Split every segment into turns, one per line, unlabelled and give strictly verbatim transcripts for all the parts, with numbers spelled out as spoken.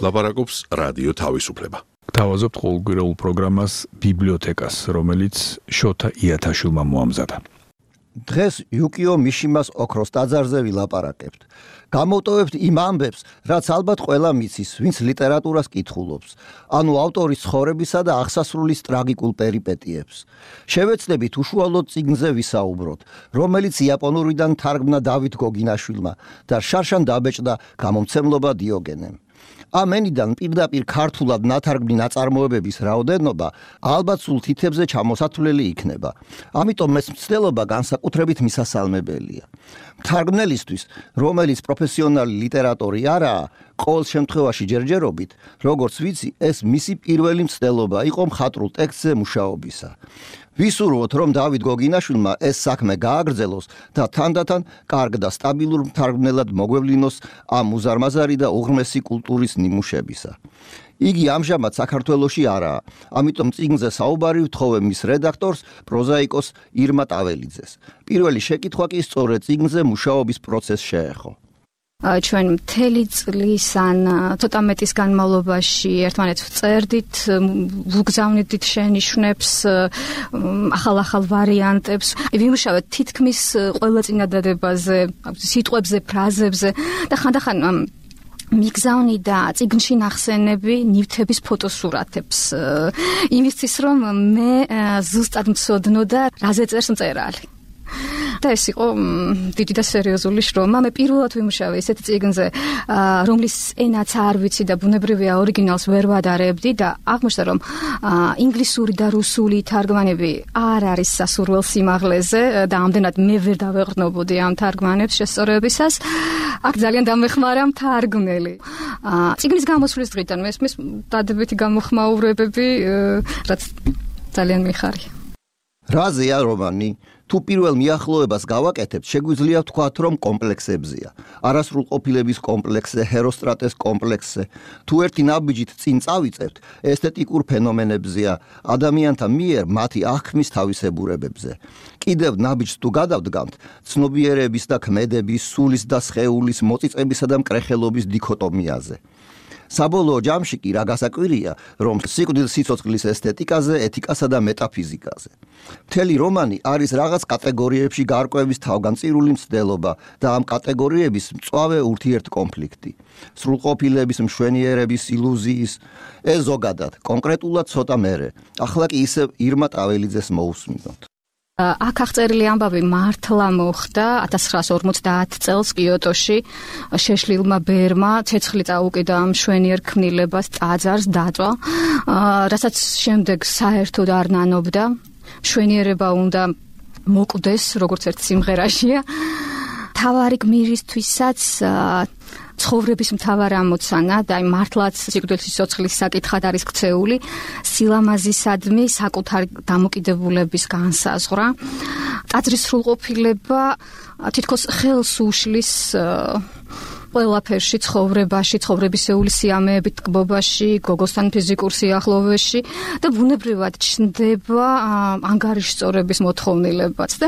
ლაპარაკობს რადიო თავისუფლება.
Გთავაზობთ ყოველკვირეულ პროგრამას ბიბლიოთეკას, რომელიც შოთა იათაშვილმა მოამზადა.
დღეს იუკიო მიშიმას ოქროს ტაძარზე ვილაპარაკებთ. გამოვტოვებთ იმ ამბებს, რაც ალბათ ყველა მიცის, ვინც ლიტერატურას კითხულობს, ანუ ავტორის ცხოვრებისა და აღსასრულის ტრაგიკულ პერიპეტიებს. შევეცდებით უშუალოდ წიგნზე ვისაუბროთ, რომელიც იაპონურიდან თარგმნა დავით გოგინაშვილმა და შარშან დაბეჭდა გამომცემლობა დიოგენემ. ამ ენიდან პირდაპირ ქართულად ნათარგმნი ნაწარმოებების რაოდენობა ალბათ სულ თითებზე ჩამოსათვლელი იქნება. ამიტომ ეს მცდელობა განსაკუთრებით მისასალმებელია. მთარგმნელისთვის, რომელიც პროფესიონალი ლიტერატორი არაა, ყოველ შემთხვევაში ჯერჯერობით, როგორც ვიცი, ეს მისი პირველი მცდელობა იყო მხატვრულ ტექსტზე მუშაობისა. ვისურვოთ, რომ დავით გოგინაშვილმა ეს საქმე გააგრძელოს და თანდათან კარგ და სტაბილურ მთარგმნელად მოგვევლინოს ამ უზარმაზარი და უღრმესი კულტურის ნიმუშებისა. იგი ამჟამად საქართველოში არაა, ამიტომ წიგნზე საუბარი ვთხოვე მის რედაქტორს, პროზაიკოს ირმა ტაველიძეს. პირველი შეკითხვა კი სწორედ წიგნზე მუშაობის პროცესს შეეხო.
ჩვენ მთელი წლის ან ცოტა მეტის განმავლობაში ერთმანეთს ვწერდით, ვუგზავნიდით შენიშვნებს, ახალ-ახალ ვარიანტებს, ვიმუშავეთ თითქმის ყველა წინადადებაზე, სიტყვებზე, ფრაზებზე და ხანდახან მიგზავნიდა წიგნში ნახსენები ნივთების ფოტოსურათებს. იმისთვის, რომ მე ზუსტად მცოდნოდა, რაზე წერს მწერალი. და ეს იყო დიდი და სერიოზული შრომა. მე პირველად ვიმუშავე ესეთ წიგნზე, რომლის ენაც არ ვიცი და ბუნებრივია ორიგინალს ვერ ვადარებდი და აღმოჩნდა, რომ ინგლისური და რუსული თარგმანები არ არის სასურველ სიმაღლეზე და ამდენად მე ვერ დავეყრდნობოდი ამ თარგმანებს შესწორებისას. აქ ძალიან დამეხმარა მთარგმნელი. წიგნის გამოსვლის დღიდან მესმის დადებითი გამოხმაურებები, რაც ძალიან მიხარია.
რაზეა რომანი? თუ პირველ მიახლოებას გავაკეთებთ, შეგვიძლია ვთქვათ, რომ კომპლექსებზია. არასრულყოფილების კომპლექსზე, ჰეროსტრატეს კომპლექსზე. თუ ერთი ნაბიჯით წინ წავიწევთ, ესთეტიკურ ფენომენებზია, ადამიანთა მიერ მათი აღქმის თავისებურებებზე. კიდევ ნაბიჯს თუ გადავდგამთ, ცნობიერების და ქმედების, სულის და სხეულის, მოწიწებისა და მკრეხელობის დიქოტომიაზე. საბოლოო ჯამში კი რა გასაკვირია, რომ სიკვდილ სიცოცხლის ესთეტიკაზე, ეთიკასა და მეტაფიზიკაზე. მთელი რომანი არის რაღაც კატეგორიებში გარკვევის თავგანწირული მცდელობა და ამ კატეგორიების მწვავე ურთიერთკონფლიქტი. სრულყოფილების, მშვენიერების, ილუზიის, ეს ზოგადად, კონკრეტულად ცოტა მერე. ახლა კი ისევ ირმა ტაველიძეს მოусმინოთ.
აქ აღწერილი ამბავი მართლა მოხდა ათას ცხრაას ორმოცდაათ წელს კიოტოში შეშლილმა ბერმა ცეცხლი წაუკიდა მშვენიერ ქმნილებას ტაძარს დაწვა, რასაც შემდეგ საერთოდ არ ნანობდა. მშვენიერება უნდა მოკვდეს, როგორც ერთ სიმღერაშია. თავარი გმირისთვისაც ცხოვრების მთავარი ამოცანა და აი მართლაც სიკვდილის სიცოცხლის საკითხად არის ქცეული სილამაზისადმი საკუთარი დამოკიდებულების განსაზღვრა. ტაძრის სრულყოფილება თითქოს ხელს უშლის ყველაფერში, ცხოვრებაში, ცხოვრებისეული სიამეებით, ტკბობაში, გოგოსთან ფიზიკურ სიახლოვეში და ბუნებრივად ჩნდება ანგარიშწორების მოთხოვნილებაც და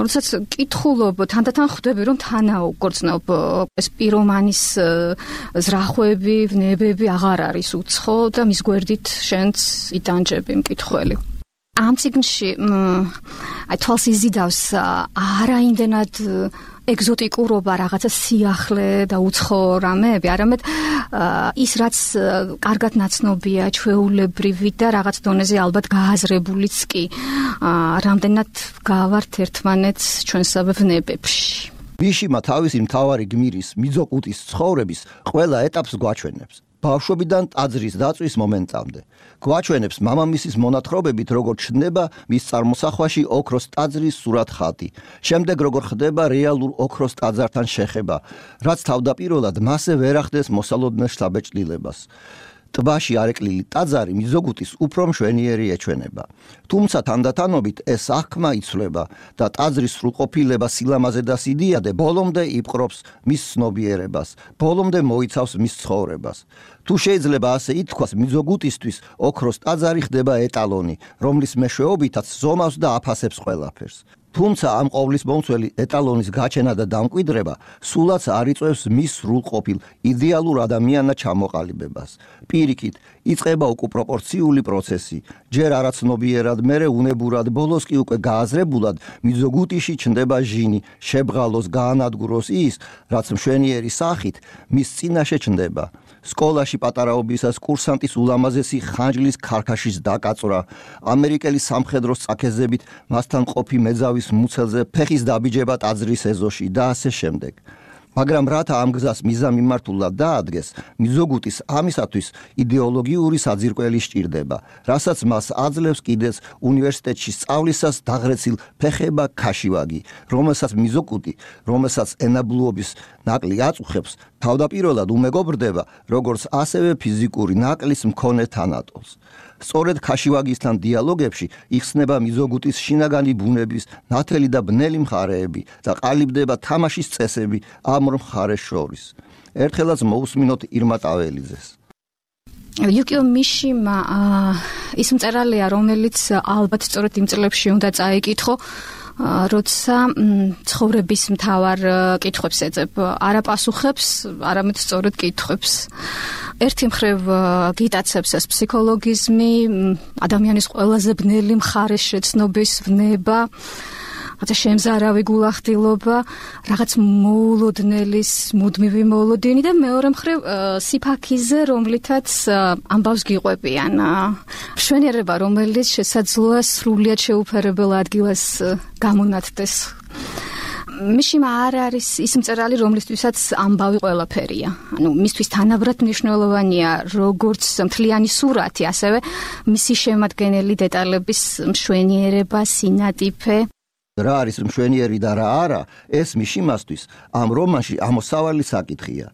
როდესაც კითხულობ, თანდათან ხვდები, რომ თანაუგრძნობ ეს პირომანის ზრახვები, ვნებები აღარ არის უცხო და მის გვერდით შენც იტანჯები მკითხველი. ამ წიგნში აი თვალს იზიდავს არაიმდენად ეგზოტიკურობა, რაღაცა სიახლე და უცხო რამეები, არამედ ის რაც კარგად ნაცნობია, ჩვეულებრივი და რაღაც დონეზე ალბათ გააზრებულიც კი, რამდენად გავართ ერთმანეთს ჩვენსავე ვნებებში.
მიშიმა თავისი მთავარი გმირის მიძოკუტის ცხოვრების ყველა ეტაპს გვაჩვენებს. ბავშვობიდან ტაძრის დაწვის მომენტამდე. გვაჩვენებს მამამისის მონათხრობებით, როგორ ჩნდება მის წარმოსახვაში ოქროს ტაძრის სურათ-ხატი. შემდეგ როგორ ხდება რეალურ ოქროს ტაძართან შეხება, რაც თავდაპირველად მასზე ვერ ახდეს მოსალოდნელ შთაბეჭდილებას. ტბაში არეკლილი ტაძარი მიზოგუტის უფრო მშვენიერი ეჩვენება. თუმცა თანდათანობით ეს აღქმა იცვლება და ტაძრის სრულყოფილება, სილამაზე და სიდიადე ბოლომდე იპყრობს მის ცნობიერებას, ბოლომდე მოიცავს მის ცხოვრებას. თუ შეიძლება ასე ითქვას, მიზოგუტისთვის ოქროს ტაძარი ხდება ეტალონი, რომლის მეშვეობითაც ზომავს და აფასებს ყველაფერს. თუმცა ამ ყოვლის მომცველი ეტალონის გაჩენა და დამკვიდრება სულაც არ იწვევს მის სრულყოფილ იდეალურ ადამიანად ჩამოყალიბებას. პირიქით, იწყება უკვე პროპორციული პროცესი. ჯერ არაცნობიერად, მერე უნებურად, ბოლოს კი უკვე გააზრებულად მიზოგუტიში ჩნდება ჟინი, შებღალოს, გაანადგუროს ის, რაც მშვენიერი სახით მის წინაშე ჩნდება. სკოლაში პატარაობისას კურსანტის ულამაზესი ხანჯლის ქარქაშის დაკაწვრა, ამერიკელი სამხედროს წაქეზებით მასთან ყოფი მეძავის მუცელზე ფეხის დაბიჯება ტაძრის ეზოში და ასე შემდეგ. მაგრამ რათა ამ გზას მიზამიმართულად დაადგეს, მიზოგუტის ამისათვის იდეოლოგიური საძირკველი სჭირდება, რასაც მას აძლევს კიდეც უნივერსიტეტში სწავლისას დაღრეცილ ფეხება ქაშივაგი, რომელსაც მიზოგუტი, რომელსაც ენაბლუობის ნაკლი აწუხებს, თავდაპირველად უმეგობრდება, როგორც ასევე ფიზიკური ნაკლის მქონე თანატოლს. სწორედ ქაშივაგისთან დიალოგებში იხსნება მიზოგუტის შინაგანი ბუნების ნათელი და ბნელი მხარეები და ყალიბდება თამაშის წესები ამ ორ მხარეს შორის. ერთხელაც მოусმინოთ ირმა ტაველიძეს.
Yukio Mishima ის მწერალია, რომელიც ალბათ სწორედ იმ წლებში უნდა წაიკითხო, როცა ცხოვრების მთავარ კითხვებს ეძებ, არა პასუხებს, არამედ სწორედ კითხვებს. ერთი მხრივ გიტაცებს ეს ფსიქოლოგიზმი, ადამიანის ყველაზე ბნელი მხარეს შეცნობის ვნება, რათა შემზარავი გულახდილობა, რაღაც მოულოდნელის მუდმივი მოულოდინი და მეორე მხრივ სიფაქიზე, რომლითაც ამბავს გიყვებიან. მშვენიერება, რომელიც შესაძლოა სრულიად შეუფერებელ ადგილას გამონათდეს. მიშიმა არ არის ის მწერალი, რომლისთვისაც ამბავი ყველაფერია. ანუ მისთვის თანაბრად მნიშვნელოვანია როგორც მთლიანი სურათი, ასევე მისი შემადგენელი დეტალების მშვენიერება, სინატიფე.
რა არის მშვენიერი და რა არა, ეს მიშიმასთვის ამ რომანში ამოსავალი საკითხია.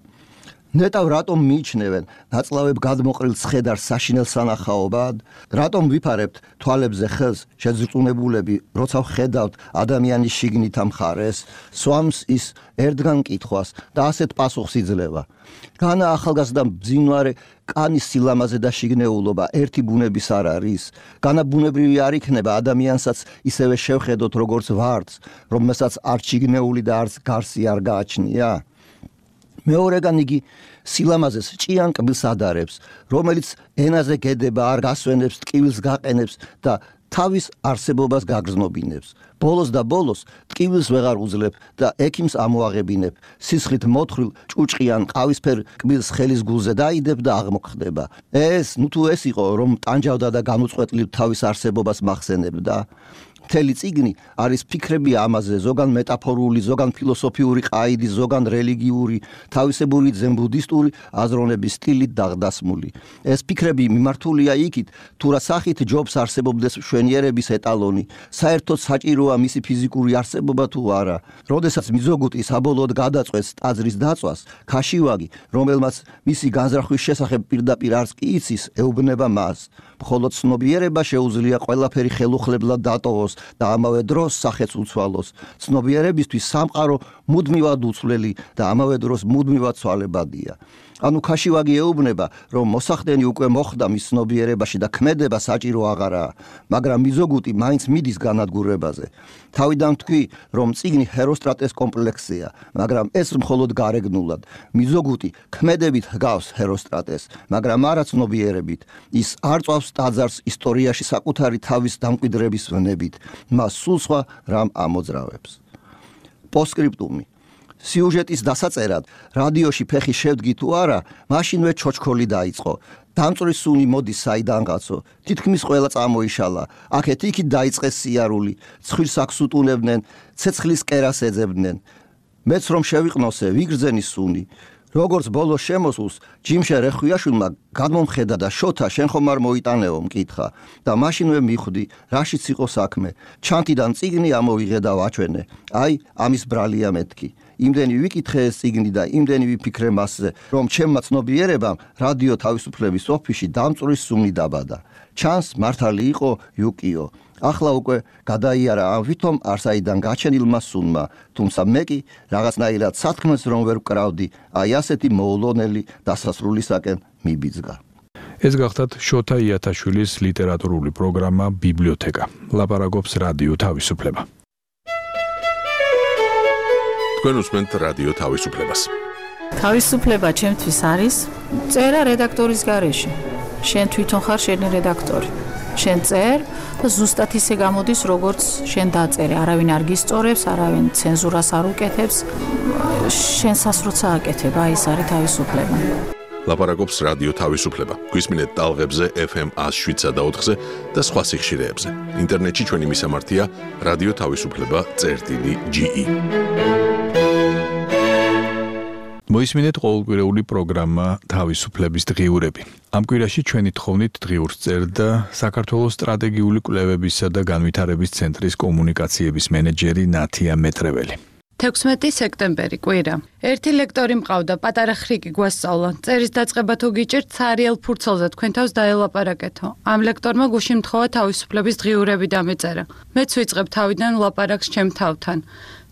ნეტავ რატომ მიიჩნევენ ნაწლავებ გადმოყრილ ცხედარს საშინელ სანახაობად? რატომ ვიფარებთ თვალებზე ხელს შეძრწუნებულები, როცა ვხედავთ ადამიანის შიგნით ამ ხარეს? სვამს ის ერთგან კითხვას და ასეთ პასუხს იძლევა. განა ახალგაზრდა ბძინვარე კანის სილამაზე და შიგნეულობა ერთი ბუნების არ არის? განა ბუნებრივი არ იქნება ადამიანსაც ისევე შევხედოთ როგორც ვარდს, რომელსაც არ შიგნეული და არც გარსი არ გააჩნია? მეორეგან იგი სილამაზეს ჭიან კბილს ადარებს, რომელიც ენაზე გედება, არ გასვენებს, ტკივილს გაყენებს და თავის არსებობას გაგრძნობინებს. ბოლოს და ბოლოს ტკივილს ვეღარ უძლებ და ექიმს ამოაღებინებ. სისხლით მოთხრილ ჭუჭყიან ყავისფერ კბილს ხელის გულზე დაიდებ და აღმოხდება. ეს, ნუ თუ ეს იყო, რომ ტანჯავდა და განუწყვეტლივ თავის არსებობას მახსენებდა. მთელი წიგნი არის ფიქრები ამაზე, ზოგან მეტაფორული, ზოგან ფილოსოფიური ყაიდის, ზოგან რელიგიური, თავისებური ძენ-ბუდისტური აზროვნების სტილით დაღდასმული. ეს ფიქრები მიმართულია იქით, თუ რა სახით ჯობს არსებობდეს მშვენიერების ეტალონი, საერთოდ საჭიროა მისი ფიზიკური არსებობა თუ არა. როდესაც მიზოგუტი საბოლოოდ გადაწყვეტს ტაძრის დაწვას, ქაშივაგი, რომელმაც მისი განზრახვის შესახებ პირდაპირ არც კი იცის, ეუბნება მას. მხოლოდ ცნობიერება შეუძლია ყველაფერი ხელუხლებლად დატოვოს და ამავე დროს სახეც უცვალოს. ცნობიერებისთვის სამყარო მუდმივად უცვლელი და ამავე დროს მუდმივად ცვალებადია. ანუ ქაშივაგი ეუბნება, რომ მოსახდენი უკვე მოხდა მის ცნობიერებაში და ქმედება საჭირო აღარაა, მაგრამ მიზოგუტი მაინც მიდის განადგურებაზე. თავიდან თქვი, რომ წიგნი ჰეროსტრატეს კომპლექსია, მაგრამ ეს მხოლოდ გარეგნულად. მიზოგუტი ქმედებით ჰგავს ჰეროსტრატეს, მაგრამ არა ცნობიერებით. ის არ წვავს ტაძარს ისტორიაში საკუთარი თავის დამკვიდრების ვნებით. მას სულ სხვა რამ ამოძრავებს. პოსტსკრიპტუმი. სიუჟეტის დასაწერად რადიოში ფეხი შევდგი თუ არა, მაშინვე ჩოჩქოლი დაიწყო. დამწვრის სუნი მოდის საიდანღაცო, თითქმის ყველა წამოიშალა. აქეთ-იქით დაიწყეს სიარული, ცხვირს აქვს უტუნებდნენ, ცეცხლის კერას ეძებდნენ. მეც რომ შევიყნოსე, ვიგრძენი სუნი. როგორც ბოლოს შემოსულს, ჯიმშე რეხვიაშვილმა გადმომხედა და შოთა შენ ხომ არ მოიტანეო მკითხა და მაშინვე მიხვდი, რაშიც იყო საქმე. ჩანთიდან წიგნი ამოვიღე და ვაჩვენე. აი, ამის ბრალია მეთქი. იმდენი ვიკითხე ეს წიგნი და იმდენი ვიფიქრე მასზე, რომ ჩემმა ცნობიერებამ რადიო თავისუფლების ოფისში დამწვრის სუნი დაბადა. ჩანს მართალი იყო იუკიო. ახლა უკვე გადაიარა ამ ვითომ არსაიდან გაჩენილმა სუნმა, თუმცა მე კი რაღაცნაირად სათქმეს რომ ვერ ვკრავდი, აი ასეთი მოულოდნელი დასასრულისაკენ მიბიძგა.
ეს გახდათ შოთა იათაშვილის ლიტერატურული პროგრამა ბიბლიოთეკა. ლაპარაკობს რადიო თავისუფლება.
თქვენ უსმენთ რადიო თავისუფლებას.
თავისუფლება ჩემთვის არის წერა რედაქტორის გარეშე. შენ თვითონ ხარ შენი რედაქტორი. შენ წერ და ზუსტად ისე გამოდის, როგორც შენ დაწერე. არავინ არ გისწორებს, არავინ ცენზურას არ უკეთებს. შენსას როცა აკეთებ, აი ეს არის თავისუფლება.
ლაპარაკობს რადიო თავისუფლება. გვისმინეთ ტალღებზე ეფ ემ one oh seven და ოთხზე და სხვა სიხშირეებზე. ინტერნეტში ჩვენი მისამართია რადიო თავისუფლება წერტილი ჯი ი.
მოისმინეთ ყოველკვირეული პროგრამა თავისუფლების დღიურები. ამ კვირაში ჩვენი თხოვნით დღიურს წერდა საქართველოს სტრატეგიული კვლევებისა და განვითარების ცენტრის კომუნიკაციების მენეჯერი ნათია მეტრეველი.
თექვსმეტი სექტემბერი კვირა. ერთი ლექტორი მყავდა, პატარა ხრიკი გვასწავლა. წერის დაწყება თუ გიჭირთ, ცარიელ ფურცელზე თქვენ თავს დაელაპარაკეთო. ამ ლექტორმა გუშინ მთხოვა თავისუფლების დღიურები დამეწერა. მეც ვიწყებ თავიდან ლაპარაკს ჩემ თავთან.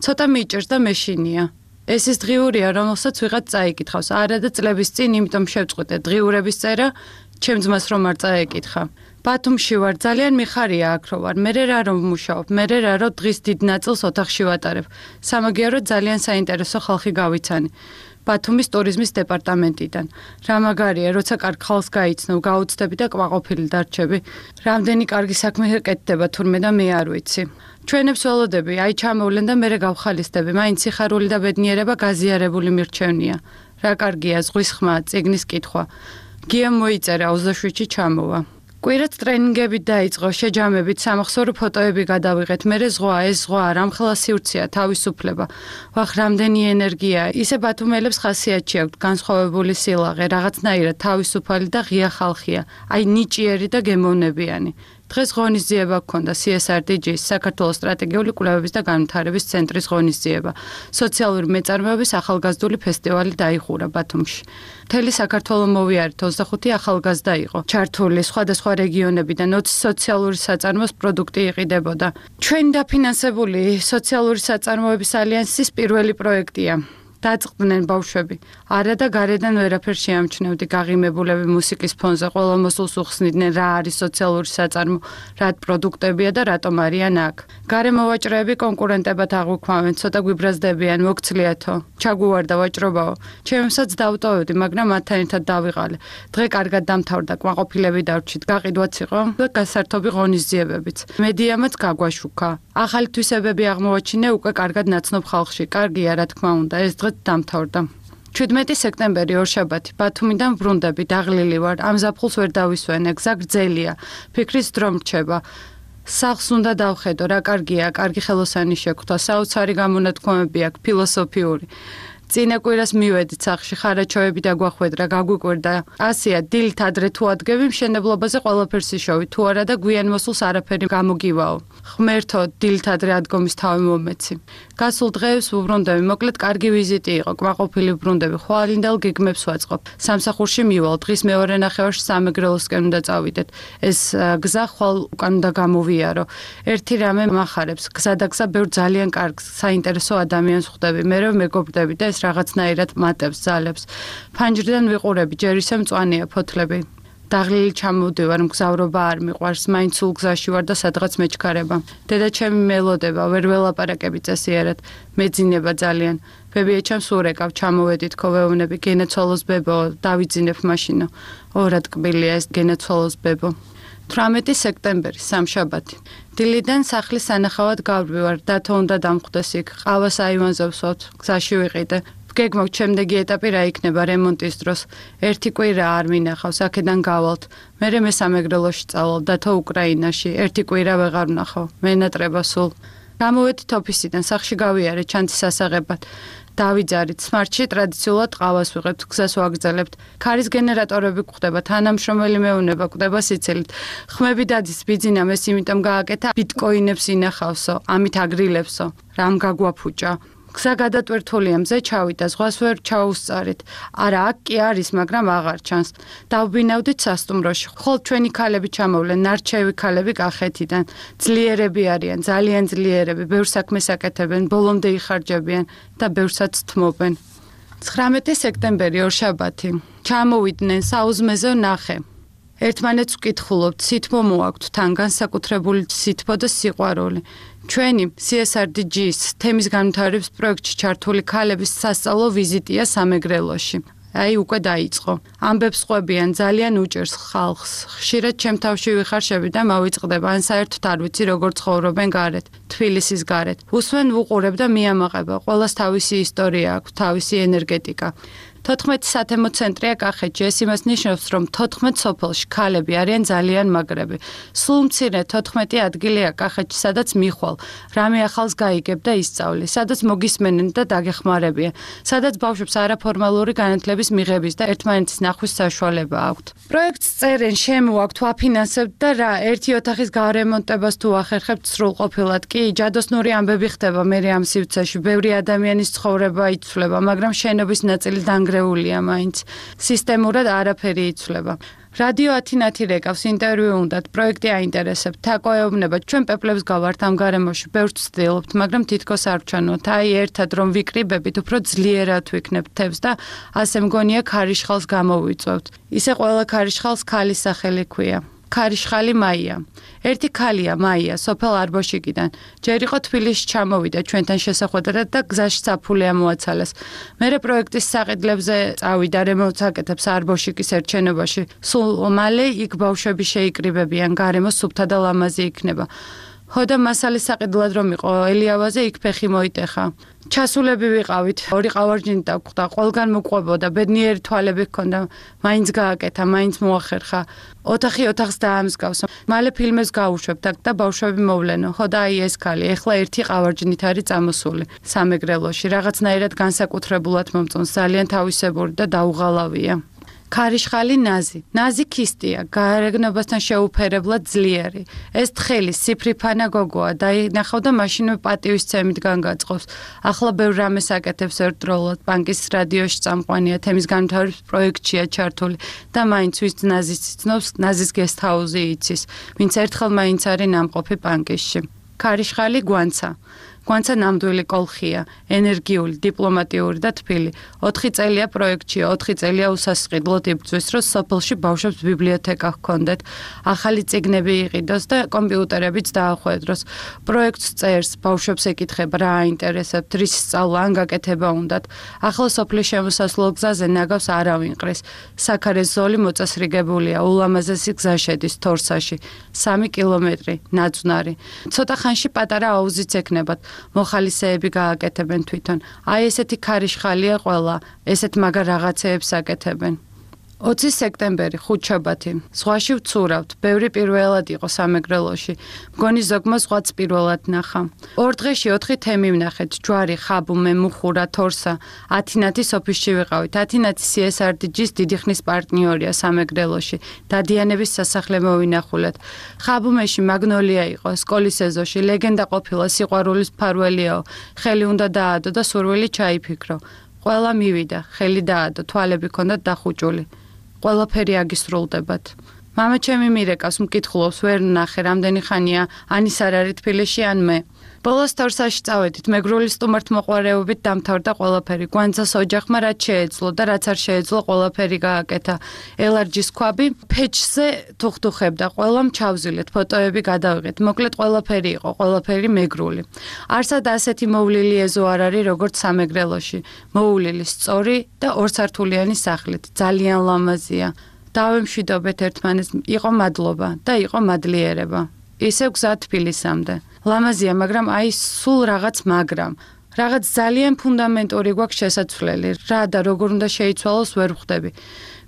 ცოტა მიჭირს და მეშინია. ეს ის დღიურია, რომელსაც ვიღაც წაიკითხავს. არა და წლების წინ, იმიტომ შევწყვიტე დღიურების წერა, ჩემ ძმას რომ არ წაეკითხა. ბათუმში ვარ, ძალიან მიხარია აქ რო ვარ. მერე რა რომ ვმუშაობ, მერე რა რომ დღის დიდ ნაწილს ოთახში ვატარებ. სამაგიეროდ ძალიან საინტერესო ხალხი გავიცანი. ბათუმის ტურიზმის დეპარტამენტიდან. რა მაგარია, როცა კარგ ხალხს გაიცნობ, გაუცდები და კვაყოფილი დარჩები. რამდენი კარგი საქმე ეკეთდება თურმე და მე არ ვიცი. ჩვენებს ველოდები, აი ჩამოვლენ და მერე გავხალისდები. მაინც სიხარული და ბედნიერება გაზიარებული მირჩევნია. რა კარგია ზღვის ხმა, წიგნის კითხვა. გიამ მოიწერა ოცდაშვიდში ჩამოვა. კვირაც ტრენინგები დაიწყო, შეჯამებით, სამახსოვრო ფოტოები გადავიღეთ. მერე ზღვა, ეს ზღვა, რამხელა სივრცეა, თავისუფლება. ვახ, რამდენი ენერგია. ისე ბათუმელებს ხასიათში აქვთ განსხვავებული სილაღე, რაღაცნაირად თავისუფალი და ღია ხალხია. აი ნიჭიერი და გემოვნებიანი. დღეს ღონისძიება გქონდა სი ეს არ დი ჯის, საქართველოს სტრატეგიული კვლევების და განვითარების ცენტრის ღონისძიება. სოციალური მეწარმეობის ახალგაზრდული ფესტივალი დაიხურა ბათუმში. მთელი საქართველო მოვიარეთ, ოცდახუთი ახალგაზრდა იყო ჩართული, სხვადასხვა რეგიონებიდან ოცი სოციალური საწარმოს პროდუქტი იყიდებოდა. ჩვენი დაფინანსებული სოციალური საწარმოების ალიანსის პირველი პროექტია. დაწყდნენ ბავშვები. არა და გარედან ვერაფერ შეამჩნევდი, გაღიმებულები მუსიკის ფონზე ყველა მოსულს უხსნიდნენ რა არის სოციალური საწარმო, რა პროდუქტებია და რატომ არიან აქ. გარე მოვაჭრეები კონკურენტებად აღვიქვამენ, ცოტა გვიბრაზდებიან, მოგცლიათო. ჩაგუვარდა ვაჭრობაო. ჩემსაც დავტოვებდი, მაგრამ მათთან ერთად დავიღალე. დღე კარგად დამთავრდა, კვაყოფილები დავრჩით, გაყიდვაც იყო და გასართობი ღონისძიებებიც. მედიამაც გაგვაშუქა. ახალი თვისებები აღმოვაჩინე უკვე კარგად ნაცნობ ხალხში. კარგია, რა თქმა უნდა, ეს დღე დამთავრდა. შვიდმეტი სექტემბერი ორშაბათი, ბათუმიდან ვრუნდები, დაღლილი ვარ, ამ ზაფხულს ვერ დავისვენე, გზა გრძელია, ფიქრის დრო მრჩება. სახლს უნდა დავხედო, რა კარგია, კარგი ხელოსანი შეგვთა, საოცარი გამონათქვამები აქვს, ფილოსოფიური. წინა კვირას მივედით სახლში, ხარაჩოები დაგვახვედრა, გაგვიკვირდა. ასია, დილით ადრე თუ ადგები, მშენებლობაზე ყველაფერს იშოვი, თუ არა და გვიან მოსულს არაფერი გამოგივაო. ღმერთო, დილით ადრე ადგომის თავი მომეცი. გასულ დღეებს ვუბრუნდები, მოკლედ კარგი ვიზიტი იყო, კვაყოფილი ვბრუნდები, ხვალინდელ გეგმებს ვაწყობ. სამსახურში მივალ, დღის მეორე ნახევარში სამეგრელოსკენ უნდა წავიდეთ. ეს გზა ხვალ უკან უნდა გამოვიარო. ერთი რამე მახარებს, გზა და გზა ბევრ ძალიან კარგ, საინტერესო ადამიანს ხვდები, მერე მეგობრდები და ეს რაღაცნაირად მატებს, ძალებს. ფანჯრიდან ვიყურები, ჯერ ისე მწვანეა ფოთლები. დაღლილი ჩამოვდივარ, მგზავრობა არ მიყვარს, მაინც სულ გზაში ვარ და სადღაც მეჩქარება. დედა ჩემი მელოდება, ვერ ველაპარაკები წესიერად, მეძინება ძალიან. ბებიაჩემს ურეკავ, ჩამოვედით ქოვეუნები, გენაცვალოს ბებო, დავიძინებ მაშინო. ორად ტკბილია ეს გენაცვალოს ბებო. თვრამეტი სექტემბერი, სამშაბათი. დილიდან სახლის სანახავად გავდივარ, დათო უნდა დამხვდეს იქ, ყავას აივანზე ვსვათ, გზაში ვიყიდე. გეგმობ შემდეგი ეტაპი რა იქნება რემონტის დროს. ერთი კვირა არ მინახავს, აქედან გავალთ. მერე მე სამეგრელოში წავალ, დათო უკრაინაში, ერთი კვირა ვეღარ ვნახავ, მენატრება სულ. გამოვედით ოფისიდან, სახლში გავიარე ჩანთის ასაღებად. დავიძარით, სმარტში ტრადიციულად ყავას ვიღებთ, გზას ვაგრძელებთ. ქარის გენერატორები გვხვდება, თანამშრომელი მეუნება გვხვდება სიცილით. ხმები დადის ბიძინა მეს იმიტომ გააკეთა, ბიტკოინებს ინახავსო, ამით აგრილებსო. რამ გაგვაფუჭა? გზა გადატვირთულია, მზე ჩავიდა, ზღვას ვერ ჩაუსწარით. არა, აქ კი არის, მაგრამ აღარ ჩანს. დავბინავდით სასტუმროში. ხოლ ჩვენი ქალები ჩამოვლენ, ნარჩევი ქალები კახეთიდან. ძლიერები არიან, ძალიან ძლიერები, ბევრ საქმეს აკეთებენ, ბოლომდე იხარჯებიან და ბევრსაც თმობენ. ცხრამეტი სექტემბერი, ორშაბათი. ჩამოვიდნენ, საუზმეზე ვნახე. ერთმანეთს ვკითხულობთ, სითბო მოაქვთ თან განსაკუთრებული სითბო და სიყვარული. ჩვენი სი ეს არ დი ჯის თემის განვითარების პროექტში ჩართული ქალების სასწავლო ვიზიტია სამეგრელოში. აი უკვე დაიწყო. ამბებს ყვებიან, ძალიან უჭერს ხალხს. ხშირად ჩემ თავში ვიხარშები და მოვიწყდება, ან საერთოდ არ ვიცი როგორ ცხოვრობენ გარეთ, თბილისის გარეთ. უსმენ ვუყურებ და მიამაყება, ყველას თავისი ისტორია აქვს, თავისი ენერგეტიკა. თოთხმეტი სათემო ცენტრია კახეთში, ეს იმას ნიშნავს, რომ თოთხმეტ სოფელში ქალები არიან ძალიან მაგრები. სულ მცირე თოთხმეტი ადგილია კახეთში, სადაც მიხვალ, რამე ახალს გაიგებ და ისწავლი, სადაც მოგისმენენ და დაგეხმარებიან, სადაც ბავშვებს არაფორმალური განათლების მიღების და ერთმანეთის ნახვის საშუალება აქვთ. პროექტს წერენ, შემოაქვთ, ვაფინანსებთ და რა, ერთი ოთახის გარემონტებას თუ ახერხებთ სრულყოფილად, კი, ჯადოსნური ამბები ხდება მერე ამ სივრცეში, ბევრი ადამიანის ცხოვრება იცვლება, მაგრამ შენობის ნაწილი დანგრეულია. გრეულია მაინც სისტემურად არაფერი იცვლება. რადიო ათინათი რეკავს ინტერვიუ უნდათ, პროექტი აინტერესებთ, თაკოეუბნება, ჩვენ პეპლებს გავართ ამ გარემოში, ბევრს ვცდილობთ, მაგრამ თითქოს არ ვჩვენოთ. აი ერთად რომ ვიკრიბებით, უფრო ძლიერად ვიქნებთ თებს და ასე მგონია ქარიშხალს გამოვიწვევთ. ისე ყველა ქარიშხალს ქალის სახელი ქვია. ქარიშხალი მაია. ერთი ქალია მაია, სოფელ არბოშიკიდან. ჯერ იყო თბილისში ჩამოვიდა ჩვენთან შესახვედრად და გზაში საფულე ამოაცალეს. მერე პროექტის საყიდლებზე წავიდა რემონტს აკეთებს არბოშიკის ერჩენობაში. სულ მალე იქ ბავშვები შეიკრიბებიან, გარემო სუფთა და ლამაზი იქნება. ხოდა მასალის საყიდლად რომ იყო ელიავაზე იქ ფეხი მოიტეხა. ჩასულები ვიყავით, ორი ყავარჯინი დაგხვდა, ყველგან მოყვებოდა, ბედნიერი თვალები ჰქონდა, მაინც გააკეთა, მაინც მოახერხა. ოთახი ოთახს დაამსგავს. მალე ფილმებს გავუშვებთ და ბავშვები მოვლენო. ხოდა აი ეს ქალი, ეხლა ერთი ყავარჯინით არის წამოსული სამეგრელოში, რაღაცნაირად განსაკუთრებულად მომწონს, ძალიან თავისებური და დაუღალავია. ქარიშხალი ნაზი. ნაზი ქისტია, გარეგნობასთან შეუფერებლად ძლიერი. ეს თხელი სიფრიფანა გოგოა, დაინახავ და მაშინვე პატივისცემით განგაწყობს. ახლა ბევრ რამეს აკეთებს ერთდროულად, ბანკის რადიოში წამყვანია, თემის განვითარების პროექტშია ჩართული და მაინც ვის ნაზის ცნობს, ნაზის გესტჰაუზი იცის, ვინც ერთხელ მაინც არის ნამყოფი ბანკში. ქარიშხალი გვანცა. გვანცა ნამდვილი კოლხია, ენერგიული, დიპლომატიური და თბილი. ოთხი წელია პროექტში, ოთხი წელია უსასყიდლოდ იბრძვის, რომ სოფელში ბავშვებს ბიბლიოთეკა ჰქონდეთ, ახალი წიგნები იყიდოს და კომპიუტერებიც დაახვედროს. პროექტს წერს, ბავშვებს ეკითხება, რა აინტერესებთ, რის სწავლა ან გაკეთება უნდათ. ახლა სოფლის შემოსასვლელ გზაზე ნაგავს არავინ ყრის. საქარეს ზოლი მოწესრიგებულია, ულამაზესი გზა შედის თორსაში, სამი კილომეტრი, ნაძვნარი. ცოტა ხანში პატარა აუზიც ექნებათ. მოხალისეები გააკეთებენ თვითონ. აი ესეთი ქარიშხალია ყველა, ესეთ მაგარ რაღაცეებს აკეთებენ. ოცი სექტემბერი, ხუთშაბათი. ზღვაში ვცურავთ, ბევრი პირველად იყო სამეგრელოში. მგონი ზოგმა ზღვაც პირველად ნახა. ორ დღეში ოთხი თემი ვნახეთ, ჯვარი, ხაბუმე, მუხურა, თორსა. ათინათის ოფისში ვიყავით. ათინათი სი ეს არ დი ჯის დიდი ხნის პარტნიორია სამეგრელოში. დადიანების სასახლე მოვინახულეთ. ხაბუმეში მაგნოლია იყო, სკოლის ეზოში, ლეგენდა ყოფილა, სიყვარულის მფარველიაო. ხელი უნდა დაადო და სურვილი ჩაიფიქრო. ყველა მივიდა, ხელი დაადო, თვალები ჰქონდათ დახუჭული. ყველაფერი აგისრულდებათ. მამა ჩემი მირეკავს, მკითხულობს, ვერ ნახე, რამდენი ხანია, ან ის არ არის თბილისში, ან მე. ბოლოს თორსაში წავედით, მეგრული სტუმართ მოყვარეობით დამთავრდა ყველაფერი. გვანძას ოჯახმა რაც შეეძლო და რაც არ შეეძლო, ყველაფერი გააკეთა. ელარჯის ქვაბი ფეჩზე თუხთუხებდა, ყველამ ჩავზილეთ, ფოტოები გადავიღეთ. მოკლედ ყველაფერი იყო, ყველაფერი მეგრული. არსად ასეთი მოვლილი ეზო არ არის, როგორც სამეგრელოში. მოვლილი სწორი და ორსართულიანი სახლით, ძალიან ლამაზია. დავემშვიდობეთ ერთმანეთს, იყო მადლობა და იყო მადლიერება. ისევ გზა თბილისამდე. ლამაზია, მაგრამ აი სულ რაღაც მაგრამ. რაღაც ძალიან ფუნდამენტური გვაქვს შესაძლებელი. რა და როგორ უნდა შეიცვალოს ვერ ვხვდები.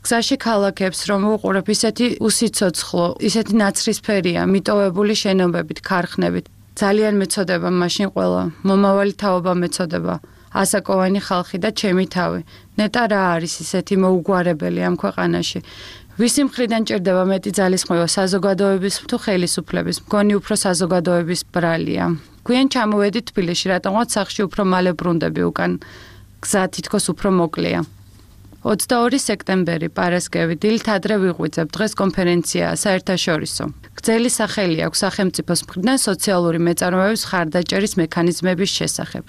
გზაში ქალაქებს რომ ვუყურებ, ისეთი უსიცოცხლო, ისეთი ნაცრისფერია, მიტოვებული შენობებით, ქარხნებით. ძალიან მეწოდება მაშინ ყველა, მომავალი თაობა მეწოდება. ასაკოვანი ხალხი და ჩემი თავი. ნეტა რა არის ისეთი მოუგვარებელი ამ ქვეყანაში. ვისი მხრიდან ჭირდება მეტი ძალისხმევა, საზოგადოების თუ ხელისუფლების? მგონი უფრო საზოგადოების ბრალია. გვიან ჩამოვედით თბილისში, რატომღაც სახლში უფრო მალე ბრუნდები უკან. გზა თითქოს უფრო მოკლეა. ოცდაორი სექტემბერი, პარასკევი, დილით ადრე ვიღვიძებ, დღეს კონფერენციაა საერთაშორისო. გრძელი სახელი აქვს სახელმწიფოს მხრიდან სოციალური მეწარმეების ხარდაჭერის მექანიზმების შესახებ.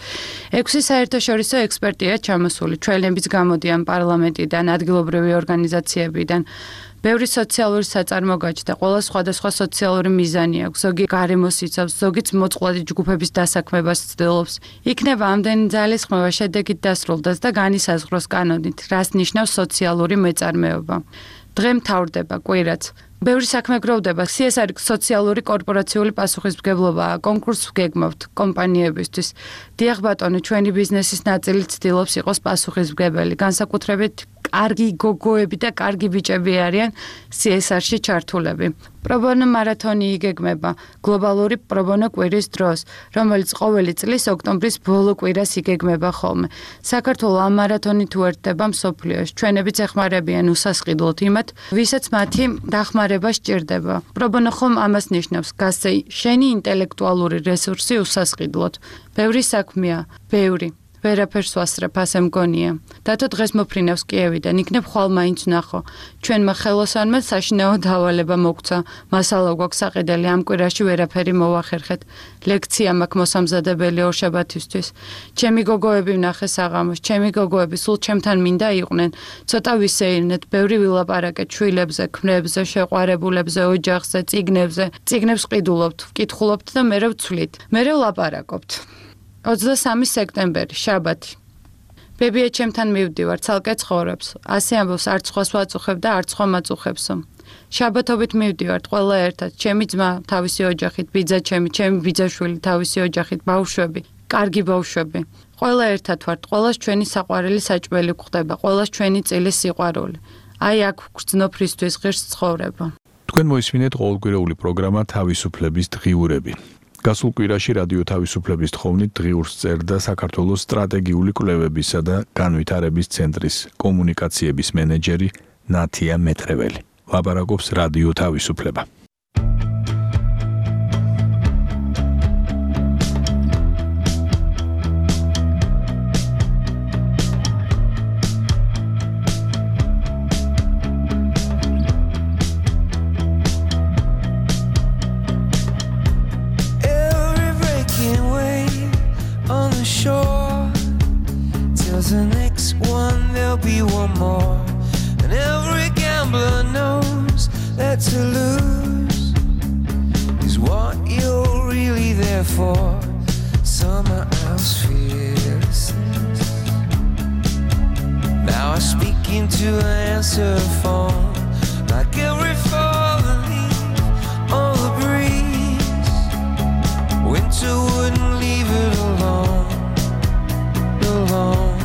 ექვსი საერთაშორისო ექსპერტია ჩამოსული, ჩვენებიც გამოდიან პარლამენტიდან, ადგილობრივი ორგანიზაციებიდან. ბევრი სოციალური საწარმო გაჩნდა, ყველა სხვადასხვა სოციალური მიზანი აქვს, ზოგი გარემოს იცავს, ზოგიც მოწყვლადი ჯგუფების დასაქმებას ცდილობს. იქნება ამდენი ძალისხმევა შედეგით დასრულდეს და განისაზღვროს კანონით, რას ნიშნავს სოციალური მეწარმეობა. დღე მთავრდება კვირაც. ბევრი საქმე გროვდება, სი ეს არი სოციალური კორპორაციული პასუხისმგებლობაა, კონკურსს ვგეგმავთ კომპანიებისთვის. დიახ ბატონო, ჩვენი ბიზნესის ნაწილი ცდილობს იყოს პასუხისმგებელი, განსაკუთრებით კარგი გოგოები და კარგი ბიჭები არიან სი ეს არ-ში ჩართულები. პრობონო მარათონი იგეგმება გლობალური პრობონო კვირის დროს, რომელიც ყოველი წლის ოქტომბრის ბოლო კვირას იგეგმება ხოლმე. საქართველოს ამ მარათონით უერთდება მსოფლიოს. ჩვენებიც ეხმარებიან უსასყიდლოდ იმათ, ვისაც მათი დახმარება სჭირდება. პრობონო ხომ ამას ნიშნავს, გასცე შენი ინტელექტუალური რესურსი უსასყიდლოდ. ბევრი საქმეა, ბევრი. ვერაფერს ვასწრებ, ასე მგონია. დათო დღეს მოფრინავს კიევიდან, იქნებ ხვალ მაინც ვნახო. ჩვენმა ხელოსანმა საშინაო დავალება მოგცა. მასალა გვაქვს საყიდელი, ამ კვირაში ვერაფერი მოვახერხეთ. ლექცია მაქვს მოსამზადებელი ორშაბათისთვის. ჩემი გოგოები ვნახე საღამოს, ჩემი გოგოები სულ ჩემთან მინდა იყვნენ. ცოტა ვისეირნეთ, ბევრი ვილაპარაკეთ შვილებზე, ქმრებზე, შეყვარებულებზე, ოჯახზე, წიგნებზე. წიგნებს ყიდულობთ, ვკითხულობთ და მერე ვცვლით. მერე ვლაპარაკობთ. ოცდასამი სექტემბერი, შაბათი. ბებია ჩემთან მივდივარ, ცალკე ცხოვრობს. ასე ამბობს, არც სხვას ვაწუხებ და არც სხვა მაწუხებსო. შაბათობით მივდივართ ყველა ერთად, ჩემი ძმა თავისი ოჯახით, ბიძა ჩემი, ჩემი ბიძაშვილი თავისი ოჯახით, ბავშვები, კარგი ბავშვები. ყველა ერთად ვართ, ყველას ჩვენი საყვარელი საჭმელი გვხდება, ყველას ჩვენი წილის სიყვარული. აი აქ გრძნობ რისთვის ღირს ცხოვრება.
თქვენ მოისმინეთ ყოველკვირეული პროგრამა თავისუფლების დღიურები. გასულ კვირაში რადიო თავისუფლების თხოვნით დღიურს წერდა საქართველოს სტრატეგიული კვლევებისა და განვითარების ცენტრის კომუნიკაციების მენეჯერი ნათია მეტრეველი. ლაპარაკობს რადიო თავისუფლება.
The next one, there'll be one more. And every gambler knows that to lose is what you're really there for. Someone else fearlessness. Now I speak into an answer phone, like every fallen leaf on the breeze. Winter wouldn't leave it alone, alone.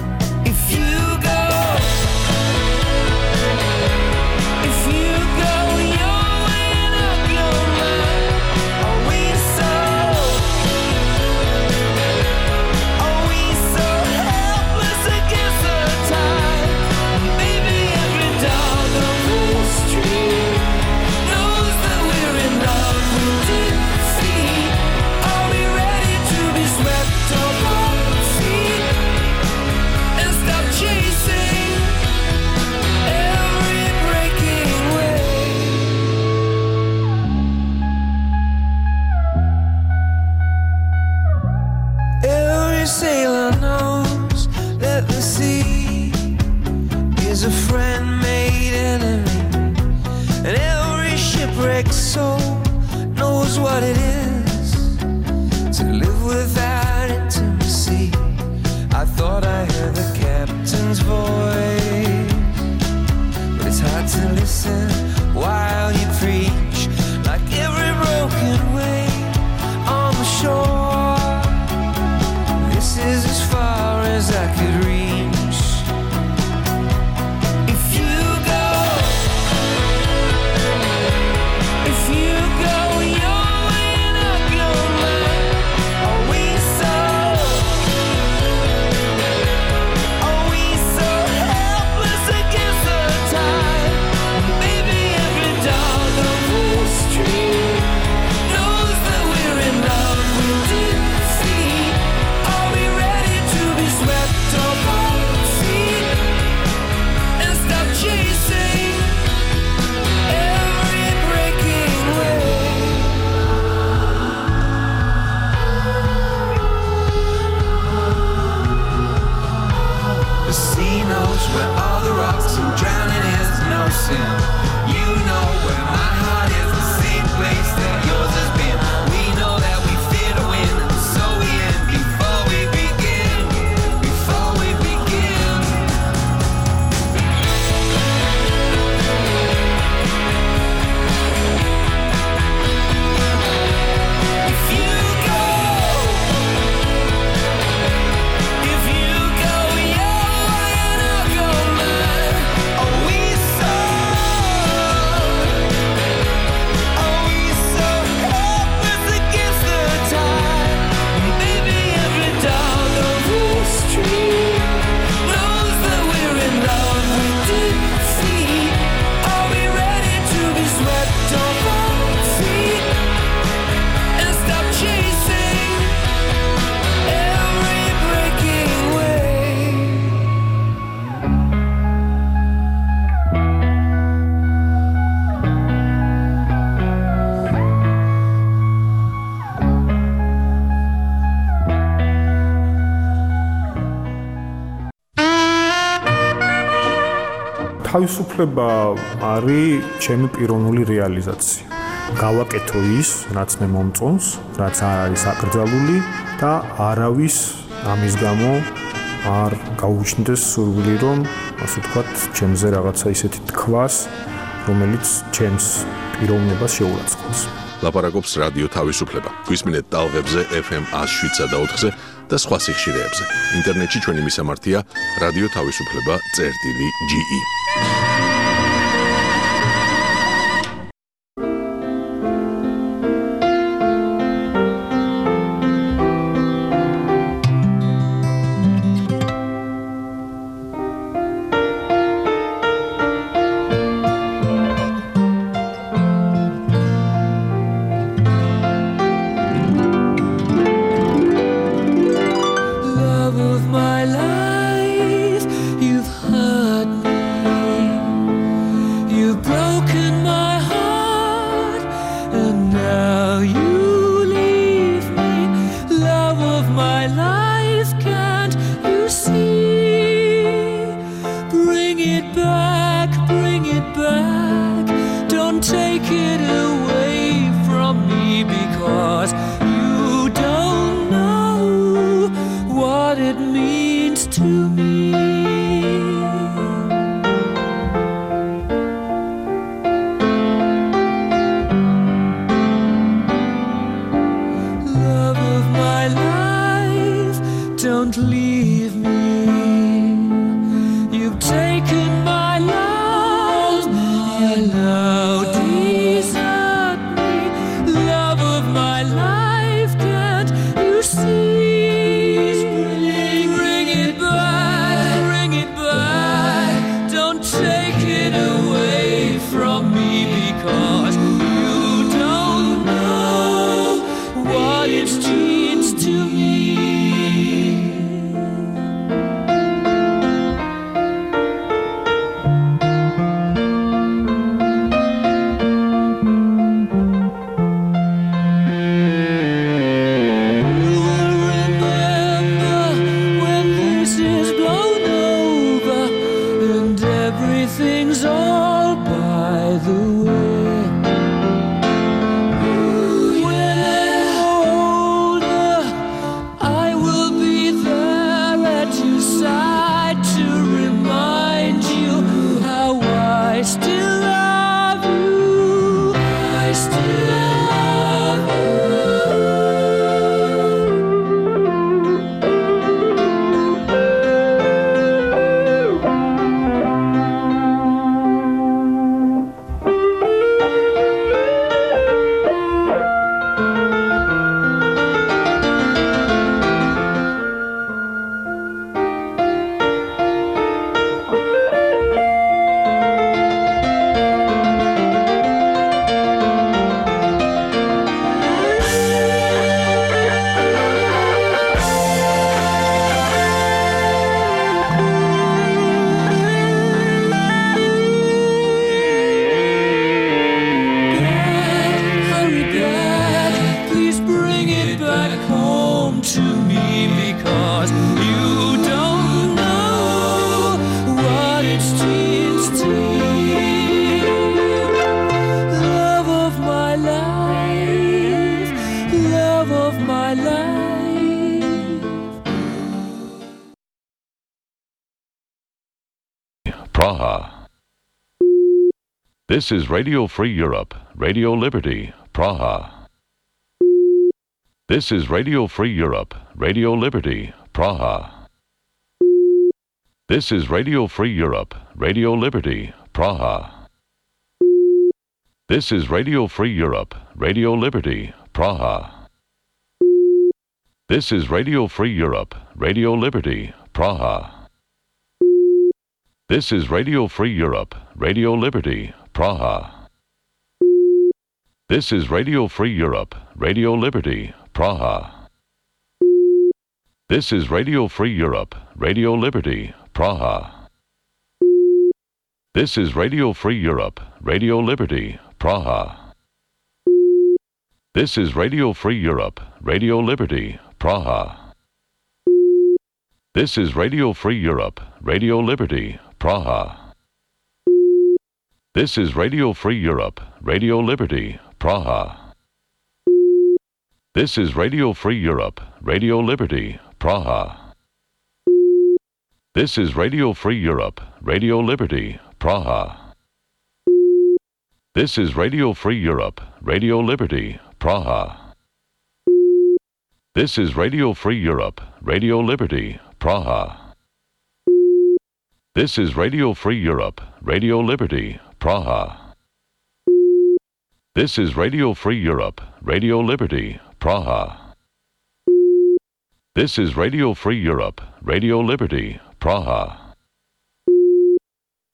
Where all the rocks and drowning is no sin. You know where my heart is, the same place that yours has been. We know that we fear to win, and so we end before we begin. Before we begin. If you go, if you go your way and I'll go mine. Are we so, are we so helpless against the tide? Maybe every dog on the street knows that we're in love with defeat. Are we ready to be swept off our feet and stop chasing every breaking wave?
თავისუფლება არის ჩემი პიროვნული რეალიზაცია. გავაკეთო ის, რაც მე მომწონს, რაც არ არის აკრძალული და არავის ამის გამო არ გაუჩნდეს სურვილი, რომ ასე ვთქვათ, ჩემზე რაღაცა ისეთი თქვას, რომელიც ჩემს პიროვნებას შეურაცხყოფს.
ლაპარაკობს რადიო თავისუფლება. გვისმინეთ ტალღებზე ეფ ემ one oh seven point four-ზე და სხვა სიხშირეებზე. ინტერნეტში ჩვენი მისამართია რადიო თავისუფლება წერტილი ჯი ი.
Love of my life, you've hurt me. You've broken my heart, and now you leave me. Love of my life, can't you see? Bring it back, bring it back. Don't take it away from me, because you don't know what it means to me. Love of my life, don't leave me. You've taken my love, you now desert me. Love of my life, can't you see? Bring it back, bring it back. Don't take it away from me, because you don't know what it means to me.
Praha. This is Radio Free Europe, Radio Liberty, Praha. This is Radio Free Europe, Radio Liberty, Praha. This is Radio Free Europe, Radio Liberty, Praha. This is Radio Free Europe, Radio Liberty, Praha. This is Radio Free Europe, Radio Liberty, Praha. This is Radio Free Europe, Radio Liberty, Praha. This is Radio Free Europe, Radio Liberty, Praha. This is Radio Free Europe, Radio Liberty, Praha. This is Radio Free Europe, Radio Liberty, Praha. This is Radio Free Europe, Radio Liberty, Praha. This is Radio Free Europe, Radio Liberty, Praha. This is Radio Free Europe, Radio Liberty, Praha. This is Radio Free Europe, Radio Liberty, Praha. This is Radio Free Europe, Radio Liberty, Praha. This is Radio Free Europe, Radio Liberty, Praha. This is Radio Free Europe, Radio Liberty, Praha. This is Radio Free Europe, Radio Liberty, Praha. This is Radio Free Europe, Radio Liberty, Praha. This is Radio Free Europe, Radio Liberty, Praha.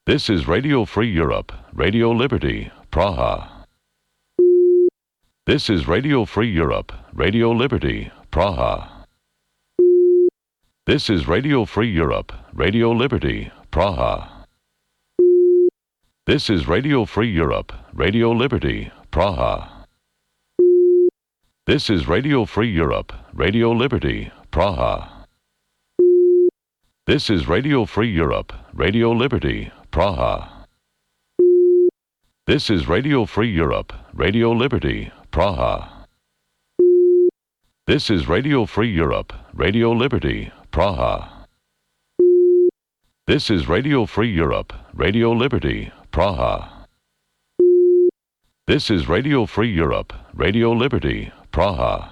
This is Radio Free Europe, Radio Liberty, Praha. This is Radio Free Europe, Radio Liberty, Praha. This is Radio Free Europe, Radio Liberty, Praha. This is Radio Free Europe, Radio Liberty, Praha. This is Radio Free Europe, Radio Liberty, Praha. This is Radio Free Europe, Radio Liberty, Praha. This is Radio Free Europe, Radio Liberty, Praha. This is Radio Free Europe, Radio Liberty, Praha. This is Radio Free Europe, Radio Liberty, Praha. This is Radio Free Europe, Radio Liberty, Praha.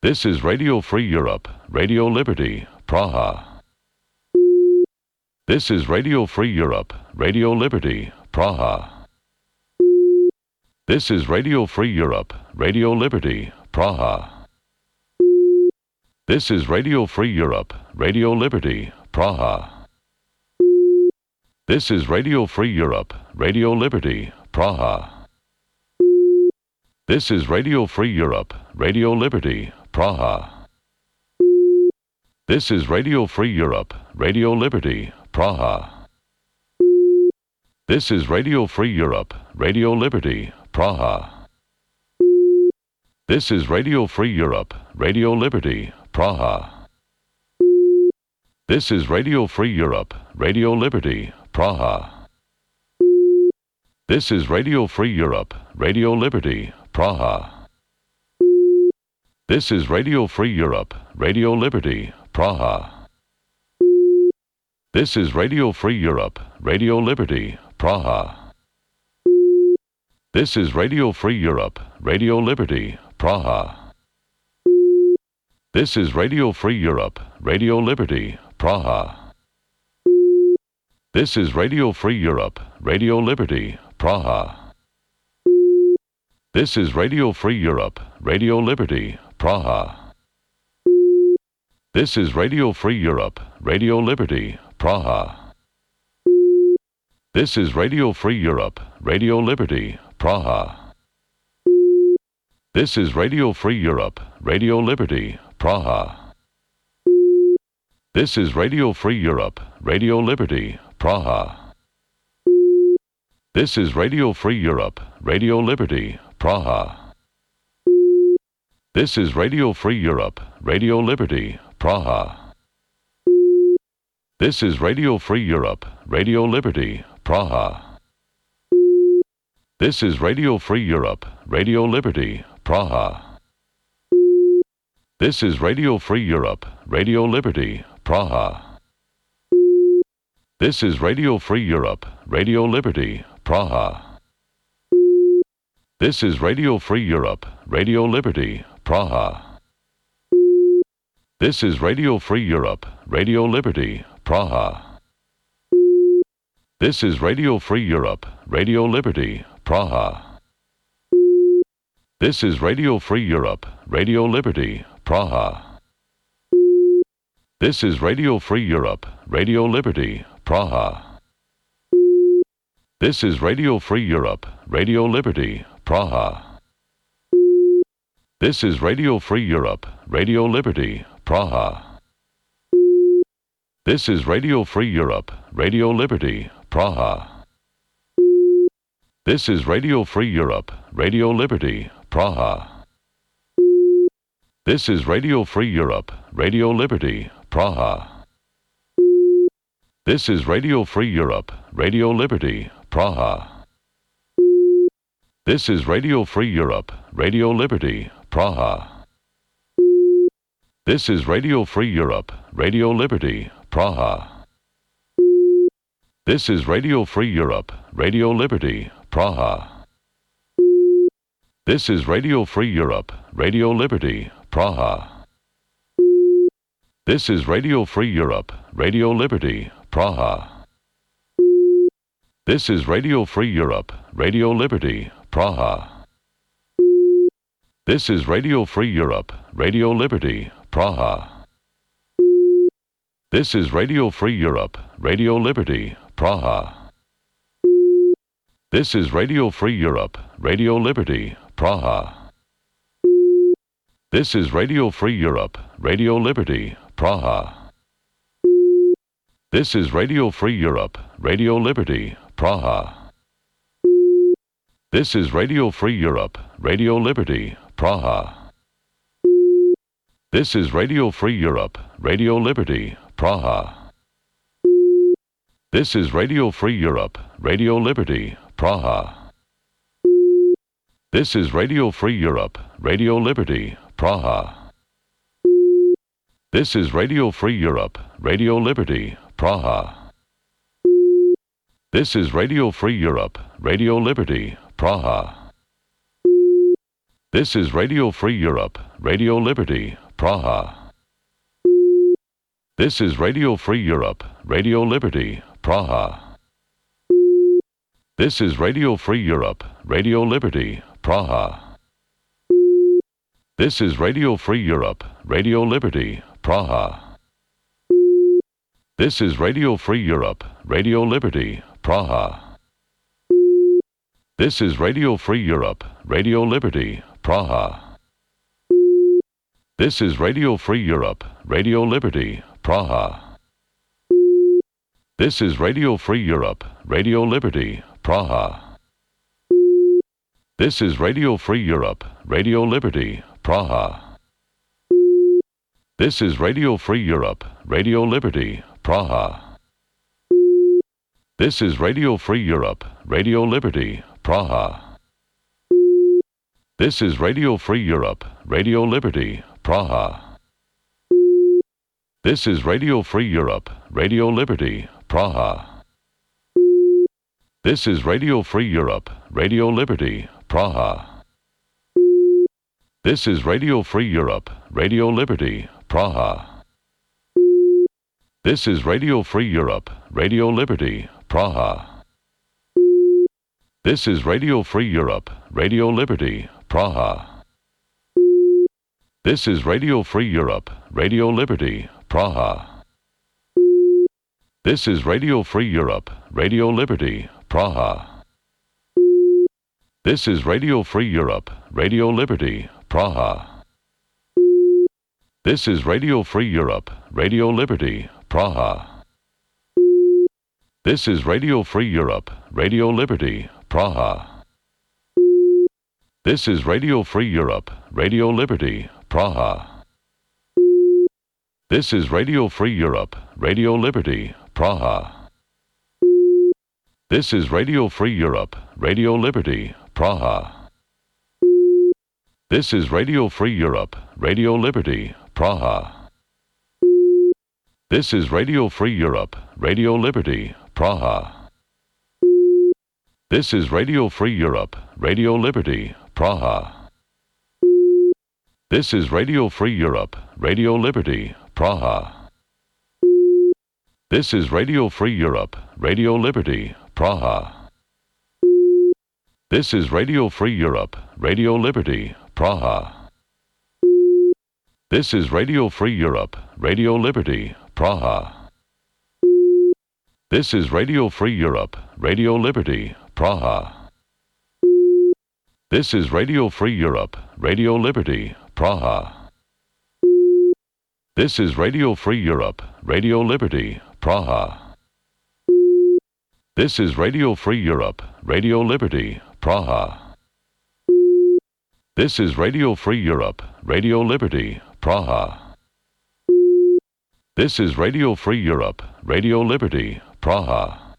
This is Radio Free Europe, Radio Liberty, Praha. This is Radio Free Europe, Radio Liberty, Praha. This is Radio Free Europe, Radio Liberty, Praha. This is Radio Free Europe, Radio Liberty, Praha. This is Radio Free Europe, Radio Liberty, Praha. This is Radio Free Europe, Radio Liberty, Praha. This is Radio Free Europe, Radio Liberty, Praha. This is Radio Free Europe, Radio Liberty, Praha. This is Radio Free Europe, Radio Liberty, Praha. This is Radio Free Europe, Radio Liberty, Praha. This is Radio Free Europe, Radio Liberty, Praha. This is Radio Free Europe, Radio Liberty, Praha. This is Radio Free Europe, Radio Liberty, Praha. This is Radio Free Europe, Radio Liberty, Praha. This is Radio Free Europe, Radio Liberty, Praha. This is Radio Free Europe, Radio Liberty, Praha. This is Radio Free Europe, Radio Liberty, Praha. This is Radio Free Europe, Radio Liberty, Praha. This is Radio Free Europe, Radio Liberty, Praha. This is Radio Free Europe, Radio Liberty, Praha. This is Radio Free Europe, Radio Liberty, Praha. This is Radio Free Europe, Radio Liberty, Praha. This is Radio Free Europe, Radio Liberty, Praha. This is Radio Free Europe, Radio Liberty, Praha. This is Radio Free Europe, Radio Liberty, Praha. This is Radio Free Europe, Radio Liberty, Praha. This is Radio Free Europe, Radio Liberty, Praha. This is Radio Free Europe, Radio Liberty, Praha. This is Radio Free Europe, Radio Liberty, Praha. This is Radio Free Europe, Radio Liberty, Praha. This is Radio Free Europe, Radio Liberty, Praha. This is Radio Free Europe, Radio Liberty, Praha. This is Radio Free Europe, Radio Liberty, Praha. This is Radio Free Europe, Radio Liberty, Praha. This is Radio Free Europe, Radio Liberty, Praha. This is Radio Free Europe, Radio Liberty, Praha. This is Radio Free Europe, Radio Liberty, Praha. This is Radio Free Europe, Radio Liberty, Praha. This is Radio Free Europe, Radio Liberty, Praha. This is Radio Free Europe, Radio Liberty, Praha. This is Radio Free Europe, Radio Liberty, Praha. This is Radio Free Europe, Radio Liberty, Praha. This is Radio Free Europe, Radio Liberty, Praha. This is Radio Free Europe, Radio Liberty, Praha. This is Radio Free Europe, Radio Liberty, Praha. This is Radio Free Europe, Radio Liberty, Praha. This is Radio Free Europe, Radio Liberty, Praha. This is Radio Free Europe, Radio Liberty, Praha. This is Radio Free Europe, Radio Liberty, Praha. This is Radio Free Europe, Radio Liberty, Praha. This is Radio Free Europe, Radio Liberty, Praha. This is Radio Free Europe, Radio Liberty, Praha. This is Radio Free Europe, Radio Liberty, Praha. This is Radio Free Europe, Radio Liberty, Praha. This is Radio Free Europe, Radio Liberty, Praha. This is Radio Free Europe, Radio Liberty, Praha. This is Radio Free Europe, Radio Liberty, Praha. This is Radio Free Europe, Radio Liberty, Praha. This is Radio Free Europe, Radio Liberty, Praha. This is Radio Free Europe, Radio Liberty, Praha. This is Radio Free Europe, Radio Liberty, Praha. This is Radio Free Europe, Radio Liberty, Praha. This is Radio Free Europe, Radio Liberty, Praha. This is Radio Free Europe, Radio Liberty, Praha. This is Radio Free Europe, Radio Liberty, Praha. This is Radio Free Europe, Radio Liberty, Praha. This is Radio Free Europe, Radio Liberty, Praha. This is Radio Free Europe, Radio Liberty, Praha. This is Radio Free Europe, Radio Liberty, Praha. This is Radio Free Europe, Radio Liberty, Praha. This is Radio Free Europe, Radio Liberty, Praha. This is Radio Free Europe, Radio Liberty, Praha. This is Radio Free Europe, Radio Liberty, Praha. This is Radio Free Europe, Radio Liberty, Praha. This is Radio Free Europe, Radio Liberty, Praha. This is Radio Free Europe, Radio Liberty, Praha. This is Radio Free Europe, Radio Liberty, Praha. This is Radio Free Europe, Radio Liberty, Praha. This is Radio Free Europe, Radio Liberty, Praha. This is Radio Free Europe, Radio Liberty, Praha. This is Radio Free Europe, Radio Liberty, Praha. This is Radio Free Europe, Radio Liberty, Praha. This is Radio Free Europe, Radio Liberty, Praha. This is Radio Free Europe, Radio Liberty, Praha. This is Radio Free Europe, Radio Liberty, Praha. This is Radio Free Europe, Radio Liberty, Praha. This is Radio Free Europe, Radio Liberty, Praha. This is Radio Free Europe, Radio Liberty, Praha. This is Radio Free Europe, Radio Liberty, Praha. This is Radio Free Europe, Radio Liberty, Praha. This is Radio Free Europe, Radio Liberty, Praha. This is Radio Free Europe, Radio Liberty, Praha. This is Radio Free Europe, Radio Liberty, Praha.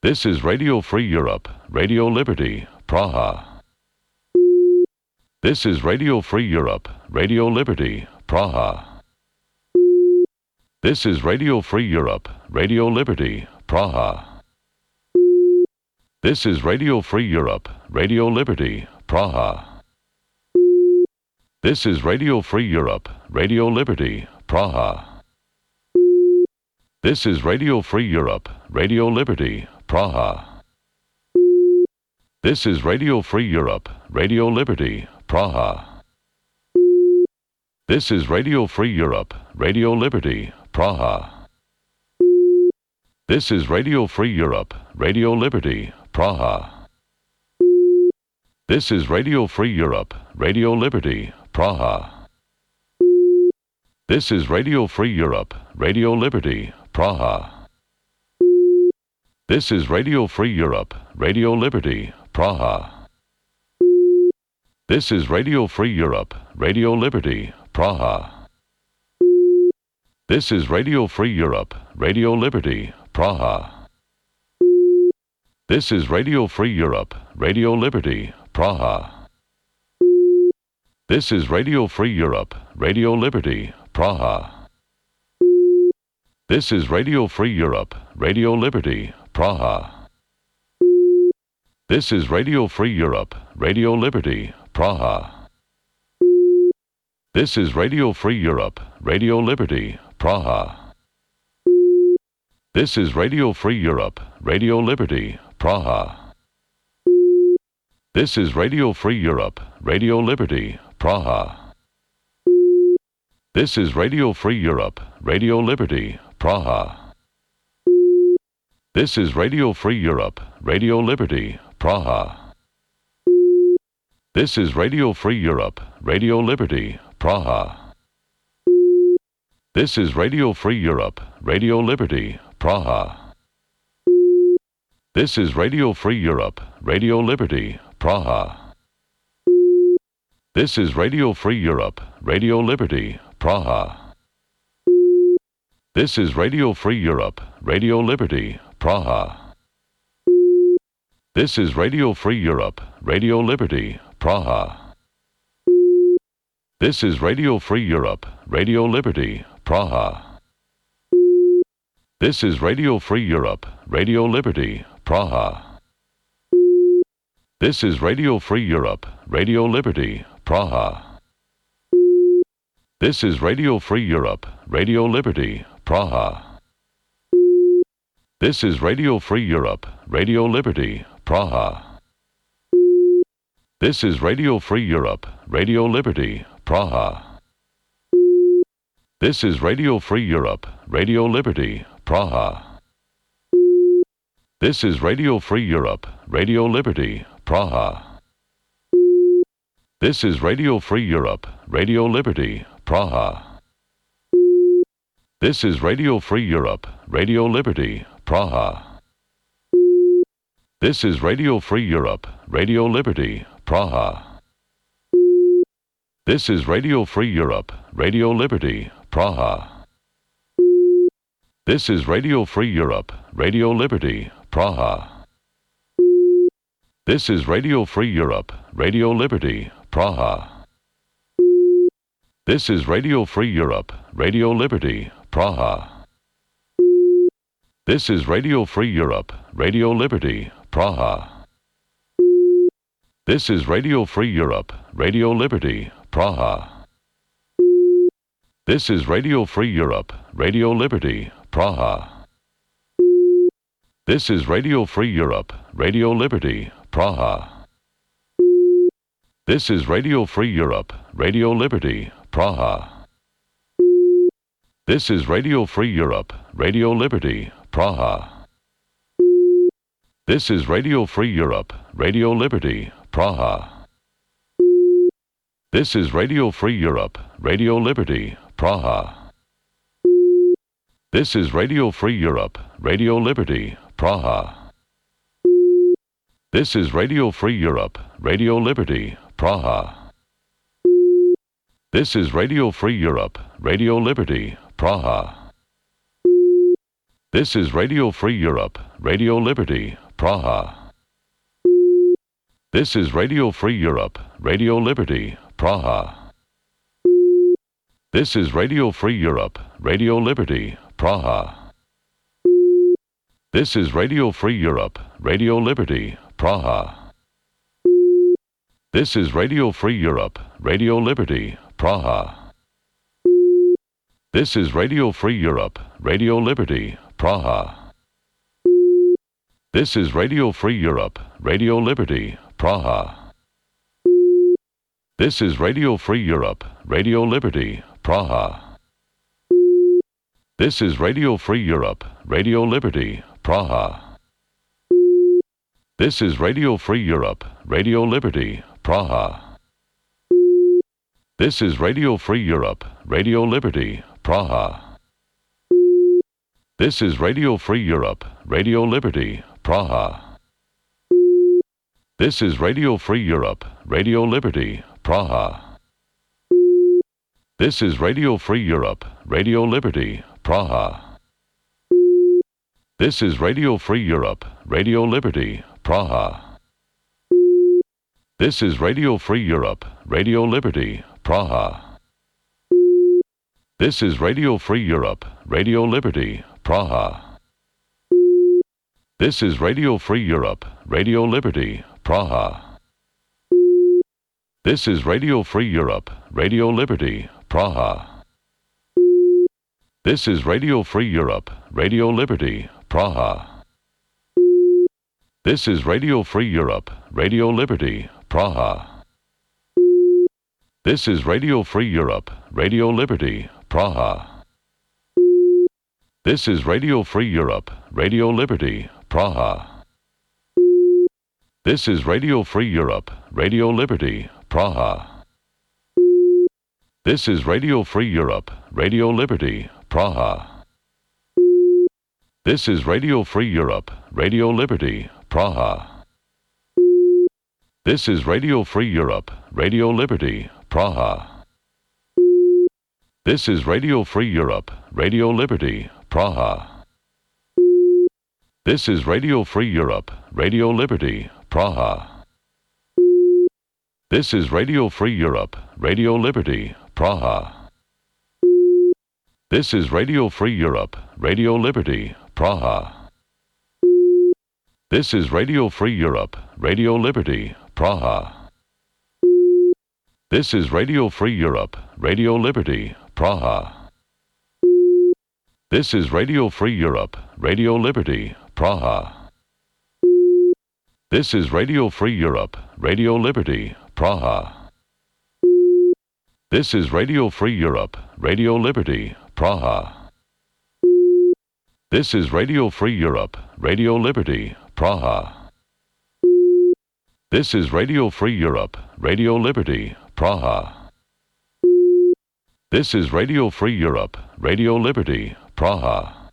This is Radio Free Europe, Radio Liberty, Praha. This is Radio Free Europe, Radio Liberty, Praha. This is Radio Free Europe, Radio Liberty, Praha. This is Radio Free Europe, Radio Liberty, Praha. This is Radio Free Europe, Radio Liberty, Praha. This is Radio Free Europe, Radio Liberty, Praha. This is Radio Free Europe, Radio Liberty, Praha. This is Radio Free Europe, Radio Liberty, Praha. This is Radio Free Europe, Radio Liberty, Praha. This is Radio Free Europe, Radio Liberty, Praha. This is Radio Free Europe, Radio Liberty, Praha. This is Radio Free Europe, Radio Liberty, Praha. This is Radio Free Europe, Radio Liberty, Praha. This is Radio Free Europe, Radio Liberty, Praha. This is Radio Free Europe, Radio Liberty, Praha. This is Radio Free Europe, Radio Liberty, Praha. This is Radio Free Europe, Radio Liberty, Praha. This is Radio Free Europe, Radio Liberty, Praha. This is Radio Free Europe, Radio Liberty, Praha. This is Radio Free Europe, Radio Liberty, Praha. This is Radio Free Europe, Radio Liberty, Praha. This is Radio Free Europe, Radio Liberty, Praha. This is Radio Free Europe, Radio Liberty, Praha. This is Radio Free Europe, Radio Liberty, Praha. This is Radio Free Europe, Radio Liberty, Praha. This is Radio Free Europe, Radio Liberty, Praha. This is Radio Free Europe, Radio Liberty, Praha. This is Radio Free Europe, Radio Liberty, Praha. This is Radio Free Europe, Radio Liberty, Praha. This is Radio Free Europe, Radio Liberty, Praha. This is Radio Free Europe, Radio Liberty, Praha. This is Radio Free Europe, Radio Liberty, Praha. This is Radio Free Europe, Radio Liberty, Praha. This is Radio Free Europe, Radio Liberty, Praha. This is Radio Free Europe, Radio Liberty, Praha. This is Radio Free Europe, Radio Liberty, Praha. This is Radio Free Europe, Radio Liberty, Praha. This is Radio Free Europe, Radio Liberty, Praha. This is Radio Free Europe, Radio Liberty, Praha. This is Radio Free Europe, Radio Liberty, Praha. This is Radio Free Europe, Radio Liberty, Praha. This is Radio Free Europe, Radio Liberty, Praha. This is Radio Free Europe, Radio Liberty, Praha. This is Radio Free Europe, Radio Liberty, Praha. This is Radio Free Europe, Radio Liberty, Praha. This is Radio Free Europe, Radio Liberty, Praha. This is Radio Free Europe, Radio Liberty, Praha. This is Radio Free Europe, Radio Liberty, Praha. This is Radio Free Europe, Radio Liberty, Praha. This is Radio Free Europe, Radio Liberty, Praha. This is Radio Free Europe, Radio Liberty, Praha. This is Radio Free Europe, Radio Liberty, Praha. This is Radio Free Europe, Radio Liberty, Praha. This is Radio Free Europe, Radio Liberty, Praha. This is Radio Free Europe, Radio Liberty, Praha. This is Radio Free Europe, Radio Liberty, Praha. This is Radio Free Europe, Radio Liberty, Praha. This is Radio Free Europe, Radio Liberty, Praha. This is Radio Free Europe, Radio Liberty, Praha. This is Radio Free Europe, Radio Liberty, Praha. This is Radio Free Europe, Radio Liberty, Praha. This is Radio Free Europe, Radio Liberty, Praha. This is Radio Free Europe, Radio Liberty, Praha. This is Radio Free Europe, Radio Liberty, Praha. This is Radio Free Europe, Radio Liberty, Praha. This is Radio Free Europe, Radio Liberty, Praha. This is Radio Free Europe, Radio Liberty, Praha. This is Radio Free Europe, Radio Liberty, Praha. This is Radio Free Europe, Radio Liberty, Praha. This is Radio Free Europe, Radio Liberty, Praha. This is Radio Free Europe, Radio Liberty, Praha. This is Radio Free Europe, Radio Liberty, Praha. This is Radio Free Europe, Radio Liberty, Praha. This is Radio Free Europe, Radio Liberty, Praha. This is Radio Free Europe, Radio Liberty, Praha. This is Radio Free Europe, Radio Liberty, Praha. This is Radio Free Europe, Radio Liberty, Praha. This is Radio Free Europe, Radio Liberty, Praha. This is Radio Free Europe, Radio Liberty, Praha. This is Radio Free Europe, Radio Liberty, Praha. This is Radio Free Europe, Radio Liberty, Praha. This is Radio Free Europe, Radio Liberty, Praha. This is Radio Free Europe, Radio Liberty, Praha. This is Radio Free Europe, Radio Liberty, Praha. This is Radio Free Europe, Radio Liberty, Praha. This is Radio Free Europe, Radio Liberty, Praha. This is Radio Free Europe, Radio Liberty, Praha. This is Radio Free Europe, Radio Liberty, Praha. This is Radio Free Europe, Radio Liberty, Praha. This is Radio Free Europe, Radio Liberty, Praha. This is Radio Free Europe, Radio Liberty, Praha. This is Radio Free Europe, Radio Liberty, Praha. This is Radio Free Europe, Radio Liberty, Praha. This is Radio Free Europe, Radio Liberty, Praha.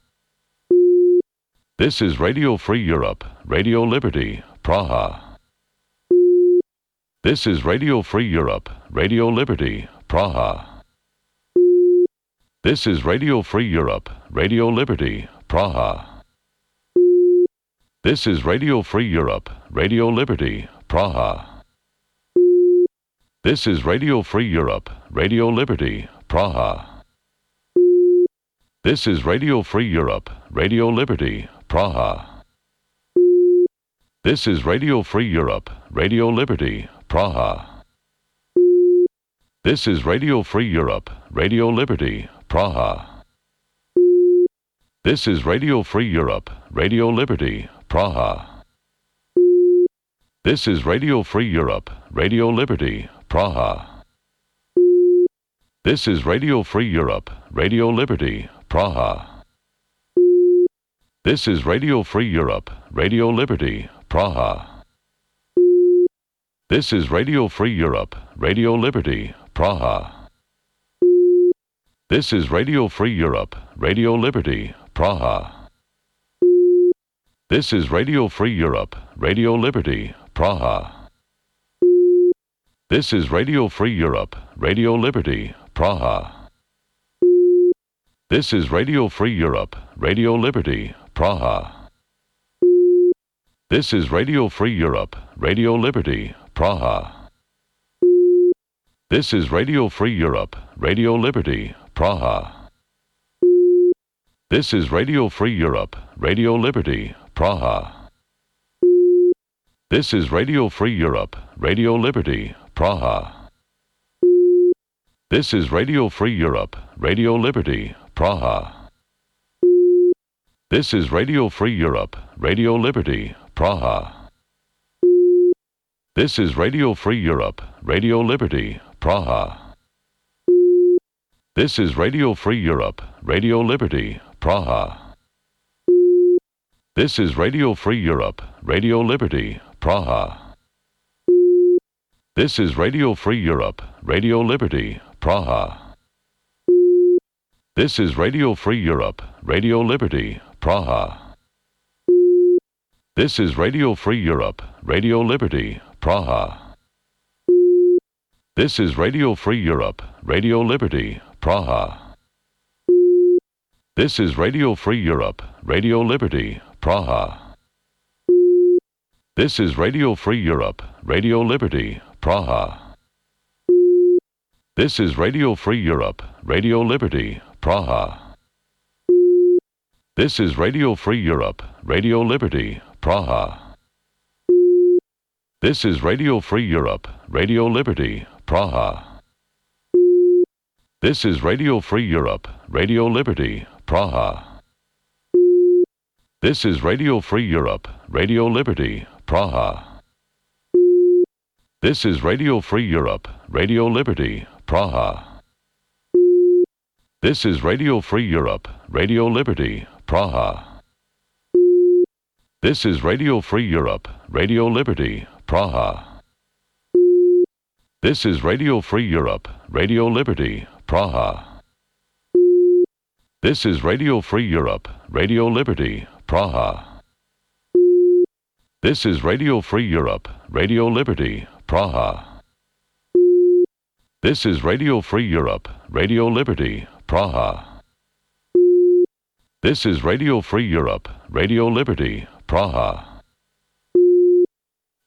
This is Radio Free Europe, Radio Liberty, Praha. This is Radio Free Europe, Radio Liberty, Praha. This is Radio Free Europe, Radio Liberty, Praha. This is Radio Free Europe, Radio Liberty, Praha. This is Radio Free Europe, Radio Liberty, Praha. This is Radio Free Europe, Radio Liberty, Praha. This is Radio Free Europe, Radio Liberty, Praha. This is Radio Free Europe, Radio Liberty, Praha. This is Radio Free Europe, Radio Liberty, Praha. This is Radio Free Europe, Radio Liberty, Praha. This is Radio Free Europe, Radio Liberty, Praha. This is Radio Free Europe, Radio Liberty, Praha. This is Radio Free Europe, Radio Liberty, Praha. This is Radio Free Europe, Radio Liberty, Praha. This is Radio Free Europe, Radio Liberty, Praha. This is Radio Free Europe, Radio Liberty, Praha. This is Radio Free Europe, Radio Liberty, Praha. This is Radio Free Europe, Radio Liberty, Praha. This is Radio Free Europe, Radio Liberty, Praha. This is Radio Free Europe, Radio Liberty, Praha. This is Radio Free Europe, Radio Liberty, Praha. This is Radio Free Europe, Radio Liberty, Praha. This is Radio Free Europe, Radio Liberty, Praha. This is Radio Free Europe, Radio Liberty, Praha. This is Radio Free Europe, Radio Liberty, Praha. This is Radio Free Europe, Radio Liberty, Praha. This is Radio Free Europe, Radio Liberty, Praha. This is Radio Free Europe, Radio Liberty, Praha. This is Radio Free Europe, Radio Liberty, Praha. This is Radio Free Europe, Radio Liberty, Praha. This is Radio Free Europe, Radio Liberty, Praha. This is Radio Free Europe, Radio Liberty, Praha. This is Radio Free Europe, Radio Liberty, Praha. This is Radio Free Europe, Radio Liberty, Praha. This is Radio Free Europe, Radio Liberty, Praha. This is Radio Free Europe, Radio Liberty, Praha. This is Radio Free Europe, Radio Liberty, Praha. This is Radio Free Europe, Radio Liberty, Praha. This is Radio Free Europe, Radio Liberty, Praha. This is Radio Free Europe, Radio Liberty, Praha. This is Radio Free Europe, Radio Liberty, Praha. This is Radio Free Europe, Radio Liberty, Praha. This is Radio Free Europe, Radio Liberty, Praha. This is Radio Free Europe, Radio Liberty, Praha. This is Radio Free Europe, Radio Liberty, Praha.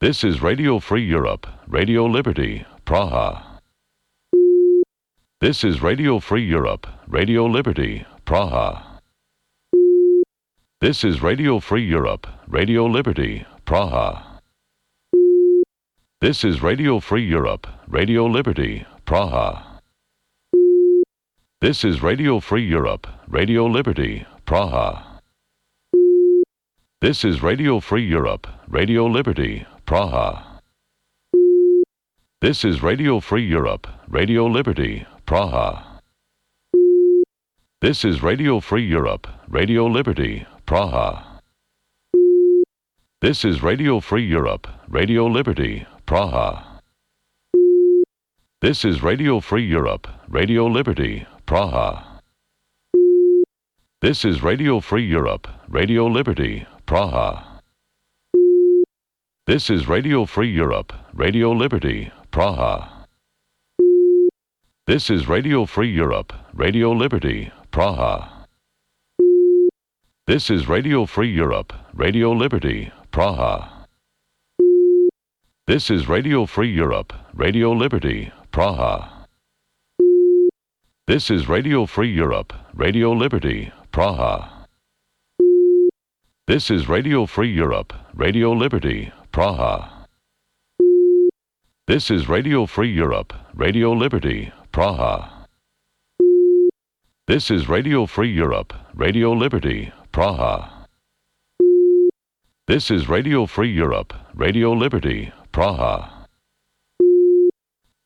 This is Radio Free Europe, Radio Liberty, Praha. This is Radio Free Europe, Radio Liberty, Praha. This is Radio Free Europe, Radio Liberty, Praha. This is Radio Free Europe, Radio Liberty, Praha. This is Radio Free Europe, Radio Liberty, Praha. This is Radio Free Europe, Radio Liberty, Praha. This is Radio Free Europe, Radio Liberty, Praha. This is Radio Free Europe, Radio Liberty, Praha. This is Radio Free Europe, Radio Liberty, Praha. This is Radio Free Europe, Radio Liberty, Praha. This is Radio Free Europe, Radio Liberty, Praha. This is Radio Free Europe, Radio Liberty, Praha. This is Radio Free Europe, Radio Liberty, Praha. This is Radio Free Europe, Radio Liberty, Praha. This is Radio Free Europe, Radio Liberty, Praha. This is Radio Free Europe, Radio Liberty, Praha. This is Radio Free Europe, Radio Liberty, Praha. This is Radio Free Europe, Radio Liberty, Praha. This is Radio Free Europe, Radio Liberty, Praha. This is Radio Free Europe, Radio Liberty, Praha.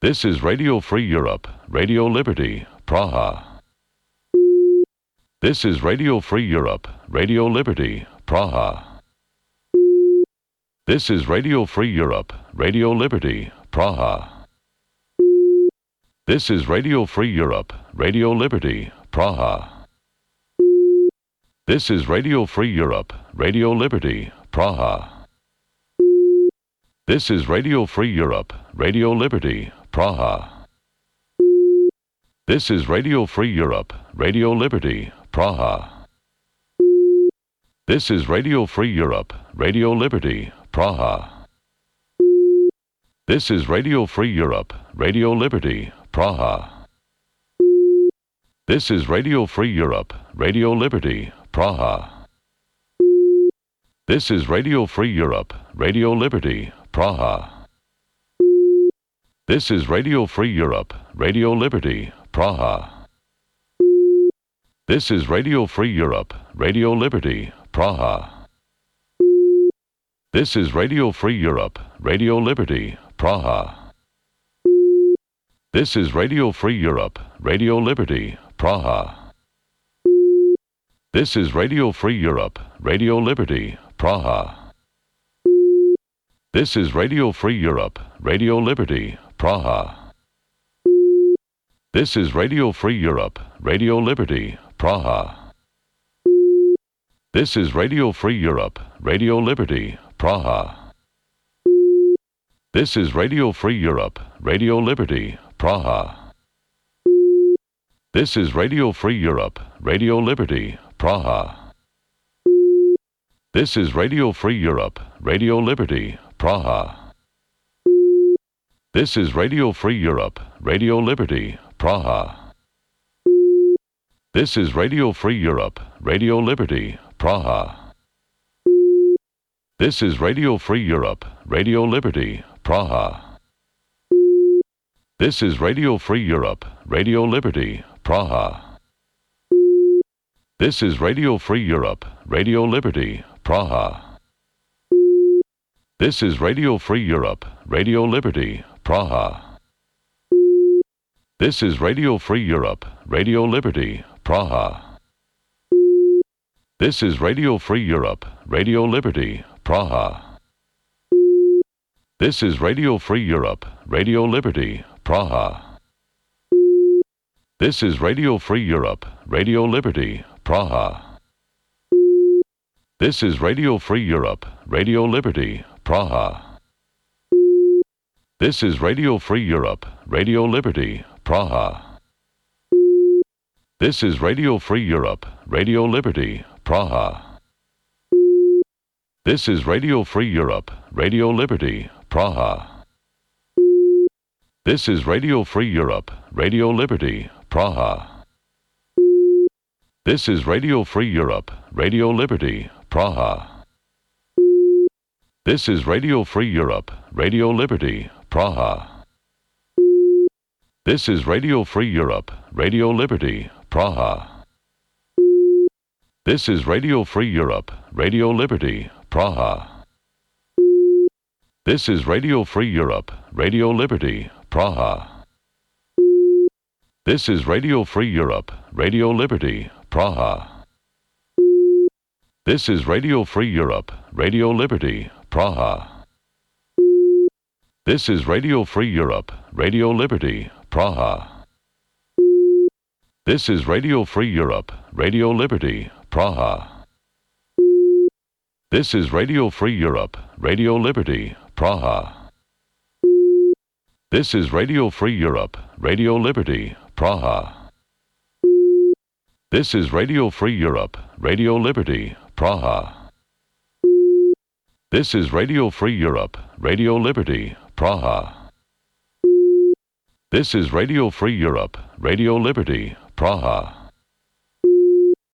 This is Radio Free Europe, Radio Liberty, Praha. This is Radio Free Europe, Radio Liberty, Praha. This is Radio Free Europe, Radio Liberty, Praha. This is Radio Free Europe, Radio Liberty, Praha. This is Radio Free Europe, Radio Liberty, Praha. This is Radio Free Europe, Radio Liberty, Praha. This is Radio Free Europe, Radio Liberty, Praha. This is Radio Free Europe, Radio Liberty, Praha. This is Radio Free Europe, Radio Liberty, Praha. This is Radio Free Europe, Radio Liberty, Praha. This is Radio Free Europe, Radio Liberty, Praha. This is Radio Free Europe, Radio Liberty, Praha. This is Radio Free Europe, Radio Liberty, Praha. This is Radio Free Europe, Radio Liberty, Praha. This is Radio Free Europe, Radio Liberty, Praha. This is Radio Free Europe, Radio Liberty, Praha. This is Radio Free Europe, Radio Liberty, Praha. This is Radio Free Europe, Radio Liberty, Praha. This is Radio Free Europe, Radio Liberty, Praha. This is Radio Free Europe, Radio Liberty, Praha. This is Radio Free Europe, Radio Liberty, Praha. This is Radio Free Europe, Radio Liberty, Praha. This is Radio Free Europe, Radio Liberty, Praha. This is Radio Free Europe, Radio Liberty, Praha. This is Radio Free Europe, Radio Liberty, Praha. This is Radio Free Europe, Radio Liberty, Praha. This is Radio Free Europe, Radio Liberty, Praha. This is Radio Free Europe, Radio Liberty, Praha. This is Radio Free Europe, Radio Liberty, Praha. This is Radio Free Europe, Radio Liberty, Praha. This is Radio Free Europe, Radio Liberty, Praha. This is Radio Free Europe, Radio Liberty, Praha. This is Radio Free Europe, Radio Liberty, Praha. This is Radio Free Europe, Radio Liberty, Praha. This is Radio Free Europe, Radio Liberty, Praha. This is Radio Free Europe, Radio Liberty, Praha. This is Radio Free Europe, Radio Liberty, Praha. This is Radio Free Europe, Radio Liberty, Praha. This is Radio Free Europe, Radio Liberty, Praha. This is Radio Free Europe, Radio Liberty, Praha. This is Radio Free Europe, Radio Liberty, Praha. This is Radio Free Europe, Radio Liberty, Praha. This is Radio Free Europe, Radio Liberty, Praha. This is Radio Free Europe, Radio Liberty, Praha. This is Radio Free Europe, Radio Liberty, Praha. This is Radio Free Europe, Radio Liberty, Praha. This is Radio Free Europe, Radio Liberty, Praha. This is Radio Free Europe, Radio Liberty, Praha. This is Radio Free Europe, Radio Liberty, Praha. This is Radio Free Europe, Radio Liberty, Praha. This is Radio Free Europe, Radio Liberty, Praha.